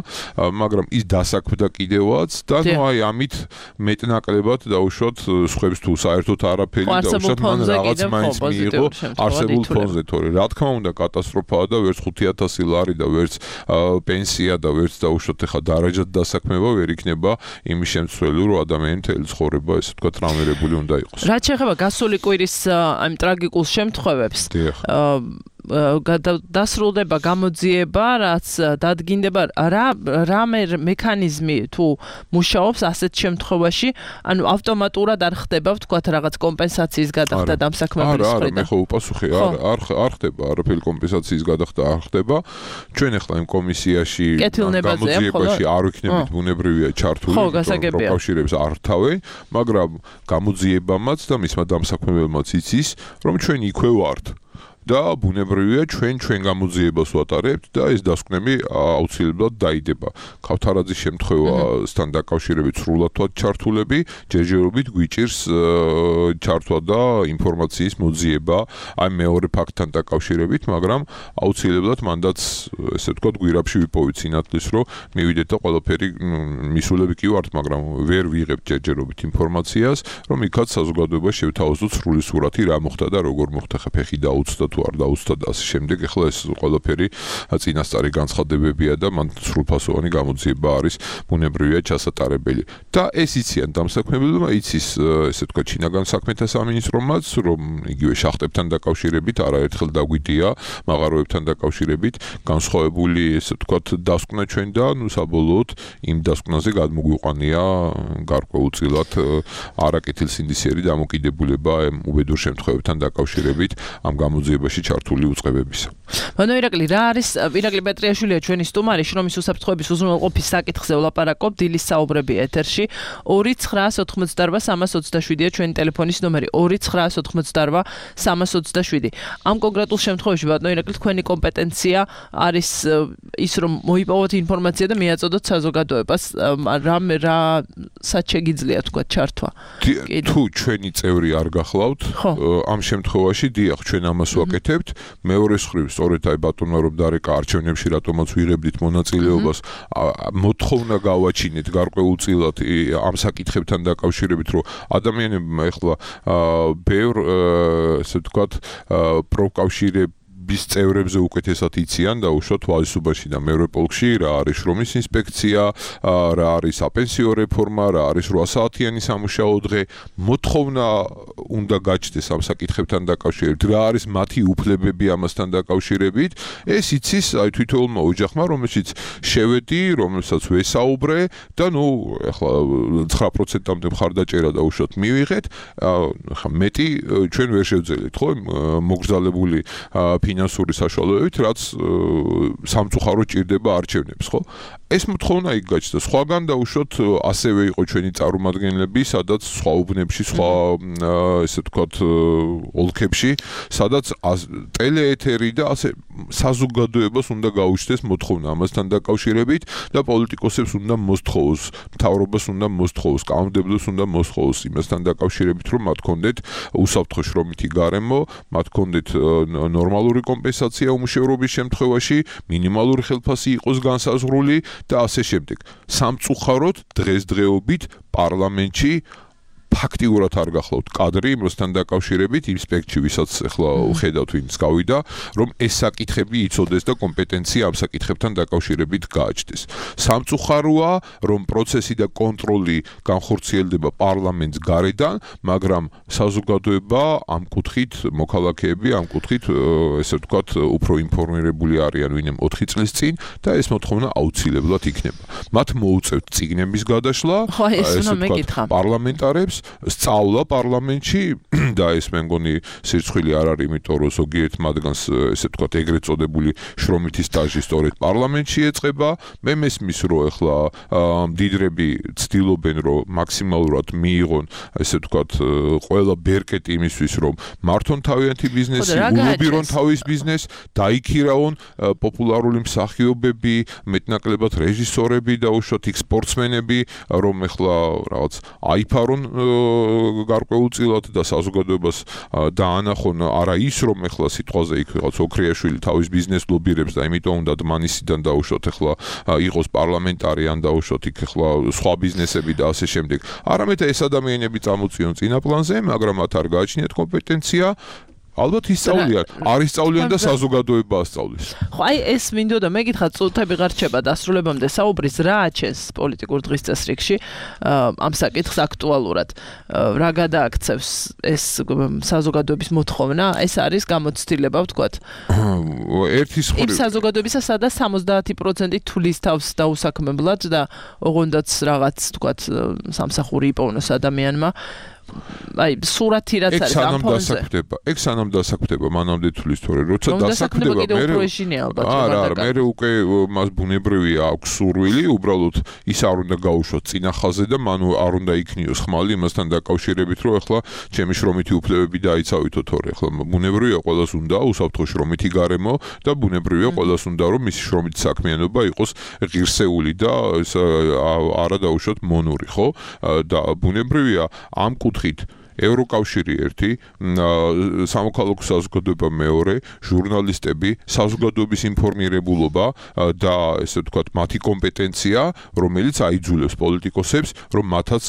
მაგრამ ის დასაქმდა კიდევაც და ნუ აი ამით მეტნაკლებად დაუშვათ სხვებს თუ საერთოდ არაფერი დაუშვათ მან რაღაც მაინც მიიღო არსებულ ფონზე თორე რა თქმა უნდა კატასტროფაა და ვერც 5,000 ლარი და ვერც პენსია და ვერც დაუშვათ ახლა დარაჯად დასაქმება ვერ იქნება იმის შემცვლელი რომ ადამიანი მთელი ცხოვრება ესე ვთქვათ ტრამირებული უნდა იყოს. რაც შეეხება გასული კვირის ამ ტრაგიკულ შემთხვევებს დასრულდება გამოძიება რაც დადგინდება რა მექანიზმი თუ მუშაობს ასეთ შემთხვევაში ანუ ავტომატურად არ ხდება ვთქვათ რაღაც კომპენსაციის გადახდა დამსაქმებლის მხრიდან არა მე ხო უპასუხე არ ხდება არაფერი კომპენსაციის გადახდა არ ხდება ჩვენ ახლა იმ კომისიაში გამოძიებაში არ ვიქნებით ბუნებრივია ჩართული პროკავშირებს არ თავენ მაგრამ გამოძიებამაც და მისმა დამსაქმებელმაც იცის რომ ჩვენ იქვე ვართ და ბუნებრივია ჩვენ გამოძიებას ვატარებთ და ეს დასკვნები აუცილებლად დაიდება. ქავთარაძის შემთხვევასთან დაკავშირებით სრულად ვართ ჩართულები, ჯერჯერობით გვიჭირს ჩართვა და ინფორმაციის მოძიება აი მეორე ფაქტთან დაკავშირებით, მაგრამ აუცილებლად მანდაც ესე ვთქვათ გვირაბში ვიპოვით სინათლის, რომ მივიდეთ და ყველაფერი მისულები კი ვართ, მაგრამ ვერ ვიღებთ ჯერჯერობით ინფორმაციას, რომ იქაც საზოგადოებას შევთავაზოთ სრული სურათი რა მოხდა და როგორ მოხდა ფეხი დაუცდა თუ არ დაუცდა და ასე შემდეგ ახლა ეს ყველაფერი წინასწარი განცხადებებია და მან სრულფასოვანი გამოძიება არის ბუნებრივია ჩასატარებელი და ეს იციან დამსაქმებელმა იცის ესე თქვა ჩინაგან საქმეთა სამინისტრომაც რომ იგივე შახტებთან დაკავშირებით არაერთხელ დაგვიდია მაღაროებთან დაკავშირებით განსხვავებული ესე თქვა დასკვნა ჩვენ და ნუ საბოლოოდ იმ დასკვნაზე გადმოგვიყვანია გარკვეულწილად არაკეთილსინდისიერი დამოკიდებულება უბედურ შემთხვევებთან დაკავშირებით ამ გამოძიებაში ჩართული უწყებებისა. ბანო ირაკლი რა არის ირაკლი პეტრიაშვილია ჩვენი სტუმარი შრომის უსაფრთხოების უზრუნველყოფის საკითხზე ვლაპარაკობ დილის საუბრები ეთერში 2988327-ია ჩვენი ტელეფონის ნომერი 2988327 ამ კონკრეტულ შემთხვევაში ბანო ირაკლი თქვენი კომპეტენცია არის ის რომ მოიპოვოთ ინფორმაცია და მიაწოდოთ საზოგადოებას რა საჩეგიძლია თქვა ჩართვა თუ ჩვენი წევრი არ გახლავთ ამ შემთხვევაში დიახ ჩვენ ამას ვაკეთებთ მეორე მხრივ სწორედ აი ბატონმა რომ დარეკა არჩევნებში რატომაც ვიღებდით მონაწილეობას მოთხოვნა გავაჩინეთ გარკვეულწილად ამ საკითხებთან დაკავშირებით რომ ადამიანებმა ეხლა ბევრ ესე ვთქვათ პროკავშირების კლუბის წევრებზე უკეთესად იციან და უშუალოდ თვალისწინებაში და მეორე პოლკში რა არის შრომის ინსპექცია, რა არის საპენსიო რეფორმა, რა არის 8 საათიანი სამუშაო დღე, მოთხოვნა უნდა გაჩნდეს ამ საკითხებთან დაკავშირებით, რა არის მათი უფლებები ამასთან დაკავშირებით, ეს იცის აი თვითონმა ოჯახმა, რომელშიც შევედი, რომელსაც ვესაუბრე და ნუ ახლა 9%-მდე მხარდაჭერა და უშუალოდ მივიღეთ, ახლა მეტი ჩვენ ვერ შევძელით, ხო, მოგრძალებული ფინანსური საშუალებებით, რაც სამწუხაროდ ჭირდება არჩევნებს, ხო? ეს მოთხოვნა იქ გაჩნდა. სხვაგან და უშუალოდ ასევე იყო ჩვენი წარმომადგენლები, სადაც სხვა უბნებში, სხვა ესე ვთქვათ, ოლქებში, სადაც ტელეეთერი და ასე საზოგადოებას უნდა გაუჩნდეს მოთხოვნა ამასთან დაკავშირებით და პოლიტიკოსებს უნდა მოსთხოვოს, მთავრობას უნდა მოსთხოვოს, კანონმდებლებს უნდა მოსთხოვოს იმასთან დაკავშირებით, რომ მათ კონდეთ უსაფრთხო შრომითი გარემო, მათ კონდეთ ნორმალური კომპენსაცია უმუშევრობის შემთხვევაში, მინიმალური ხელფასი იყოს განსაზღვრული და ასე შემდეგ. სამწუხაროდ დღესდღეობით პარლამენტში ფაქტიურად არ გახლავთ კადრი იმასთან დაკავშირებით იმ სპექტრში, ვისაც ახლა ხედავთ ვინც გავიდა, რომ ეს საკითხები იცოდეს და კომპეტენცია ამ საკითხებთან დაკავშირებით გააჩნდეს. სამწუხაროა, რომ პროცესი და კონტროლი განხორციელდება პარლამენტს გარედან, მაგრამ საზოგადოება ამ კუთხით, მოქალაქეები ამ კუთხით, ესე ვთქვათ, უფრო ინფორმირებული არიან ვინმე 4 წლის წინ და ეს მოთხოვნა აუცილებლად იქნება. მათ მოუწევთ წიგნების გადაშლა, ესე ვთქვათ, პარლამენტარებს სწავლა პარლამენტში და ეს მე მგონი სირცხვილი არ არის, იმიტომ რომ ზოგიერთ მათგანს ესე ვთქვათ ეგრეთ წოდებული შრომითი სტაჟი სწორედ პარლამენტში ეწყება. მე მესმის რომ ახლა მდიდრები ცდილობენ რომ მაქსიმალურად მიიღონ ესე ვთქვათ ყველა ბერკეტი იმისთვის რომ მართონ თავიანთი ბიზნესი, ულობირონ თავის ბიზნესს, დაიქირავონ პოპულარული მსახიობები, მეტნაკლებად რეჟისორები და უშუალოდ იქ სპორტსმენები, რომ ახლა რაღაც აიფარონ გარკვეულწილად და საზოგადოებას დაანახონ არა ის რომ ახლა სიტყვაზე იქ რაღაც ოქრიაშვილი თავის ბიზნესს ლობირებს და იმიტომ უნდა დმანისიდან დაუშვათ ახლა იყოს პარლამენტარი ან დაუშვათ იქ ახლა სხვა ბიზნესები და ასე შემდეგ. არამედ ეს ადამიანები წამოწიონ წინა პლანზე, მაგრამ მათ არ გააჩნიათ კომპეტენცია. ალბათ ისწავლიან, არ ისწავლიან და საზოგადოება ასწავლის. ხო, აი ეს მინდოდა მეკითხა, წუთები გარჩება დასრულებამდე საუბრის რა აჩენს პოლიტიკურ დღის წესრიგში ამ საკითხს აქტუალურად. რა გადააქცევს ეს საზოგადოების მოთხოვნა? ეს არის გამოცდილება, ვთქვათ. ერთის მხრივ იმ საზოგადოებისა, სადაც 70% თulis თავს დაუსაქმებლად და ოღონდაც რაღაც, ვთქვათ, სამსახური იპოვნოს ადამიანმა. აი სურათი რაც არის ამ ფონზე. ეგ სანამ დასაქმდება, მანამდე თulis თორე როცა დასაქმდება, მე უკვე მას ბუნებრივია აქვს სურვილი, უბრალოდ ის არ უნდა გაუშვოთ წინა ხაზზე და მან არ უნდა იქნიოს ხმალი იმასთან დაკავშირებით, რომ ახლა ჩემი შრომითი უფლებები დაიცავითო თორე ახლა ბუნებრივია ყველას უნდა უსაფრთხო შრომითი გარემო და ბუნებრივია ყველას უნდა რომ მისი შრომითი საქმიანობა იყოს ღირსეული და არა დაუშვოთ მონური, ხო? და ბუნებრივია ამ კუთხით ევროკავშირი ერთი, სამოქალაქო საზოგადოება მეორე, ჟურნალისტები, საზოგადოების ინფორმირებულობა და ესე ვთქვათ, მათი კომპეტენცია, რომელიც აიძულებს პოლიტიკოსებს, რომ მათაც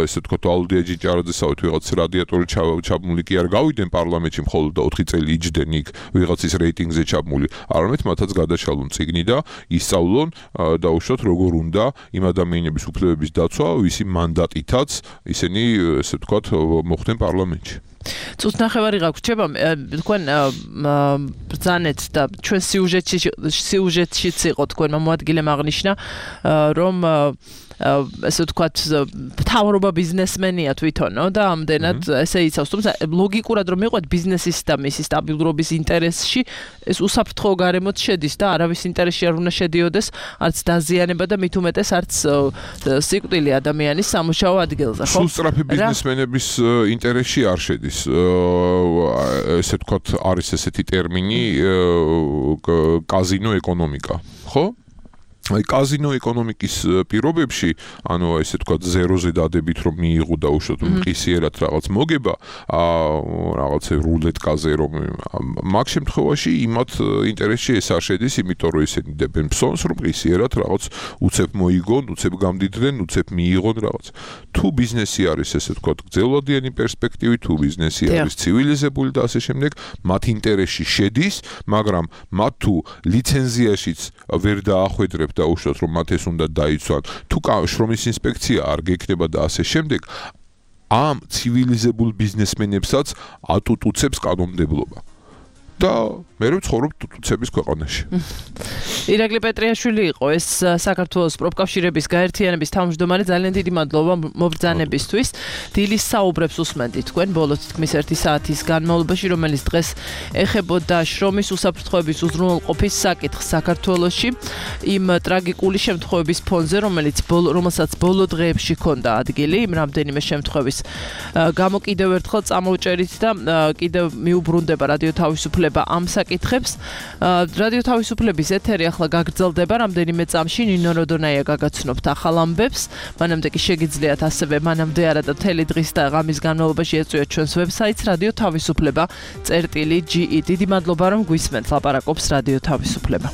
ესე ვთქვათ, ვალდია ჭიჭარაძესავით ვიღაც რადიატორი ჩაბმული კი არ გავიდნენ პარლამენტში, მხოლოდ 4 წელი იჯდნენ იქ ვიღაცის რეიტინგზე ჩაბმული, არამედ მათაც გადაშალონ წიგნი და ისწავლონ და უშუალოდ როგორ უნდა იმ ადამიანების უფლებების დაცვა, ვისი მანდატითაც ისინი ესე ვთქვათ მოხდნენ პარლამენტში. წუთნახევარი გაგვრჩება, თქვენ ბრძანეთ და ჩვენ სიუჟეტშიც იყო თქვენმა მოადგილემ აღნიშნა, რომ ესე ვთქვათ, მთავრობა ბიზნესმენია თვითონო და ამდენად ესე იცავს, თუმცა ლოგიკურად რომ მიყვეთ ბიზნესის და მისი სტაბილურობის ინტერესში, ეს უსაფრთხო გარემოც შედის და არავის ინტერესში არ უნდა შედიოდეს, არც დაზიანება და მით უმეტეს არც სიკვდილი ადამიანის სამუშაო ადგილზე, ხო? სულ სწრაფი ბიზნესმენების ინტერესში არ შედის. ესე ვთქვათ, არის ესეთი ტერმინი კაზინო ეკონომიკა, ხო? აი კაზინო ეკონომიკის პირობებში, ანუ ესე ვთქვათ, ზეროზე დადებით რომ მიიღო და უშოთ მყისიერად რაღაც მოგება, რაღაც რულეტკაზე რომ მაგ შემთხვევაში იმათ ინტერესში ეს არ შედის, იმიტომ რომ ესენი დებენ ფსონს რომ მყისიერად რაღაც უცებ მოიგონ, უცებ გამდიდნენ, უცებ მიიღონ რაღაც. თუ ბიზნესი არის ესე ვთქვათ, გრძელვადიანი პერსპექტივით, თუ ბიზნესი არის ცივილიზებული და ასე შემდეგ, მათ ინტერესში შედის, მაგრამ მათ თუ ლიცენზიაშიც ვერ დაახვედრებთ და უშოთ რომ მათ ეს უნდა დაიცვან, თუ შრომის ინსპექცია არ გექნება და ასე შემდეგ, ამ ცივილიზებულ ბიზნესმენებსაც ატუტუცებს კანონმდებლობა. და მე ვცხოვრობ ტუტუცების ქვეყანაში. ირაკლი პეტრიაშვილი იყო ეს საქართველოს პროფკავშირების გაერთიანების თავმჯდომარე, ძალიან დიდი მადლობა მობრძანებისთვის. დილის საუბრებს უსმენთ თქვენ ბოლო თითქმის 1 საათის განმავლობაში, რომელიც დღეს ეხებოდა შრომის უსაფრთხოების უზრუნველყოფის საკითხს საქართველოში, იმ ტრაგიკული შემთხვევების ფონზე, რომელსაც ბოლო დღეებში ჰქონდა ადგილი, იმ რამდენიმე შემთხვევის გამო კიდევ ერთხელ წამოვჭერით და კიდევ მიუბრუნდება რადიო თავისუფლება ამ საკითხებს. რადიო თავისუფლების ეთერი ახლა გაგრძელდება რამდენიმე წამში. ნინო როდონაია გაგაცნობთ ახალ ამბებს. მანამდე კი შეგიძლიათ ასევე მანამდე არა და მთელი დღის და ღამის განმავლობაში ეწვიოთ ჩვენს ვებსაიტს რადიო თავისუფლება.ge. დიდი მადლობა რომ გვისმენთ. ლაპარაკობს რადიო თავისუფლება.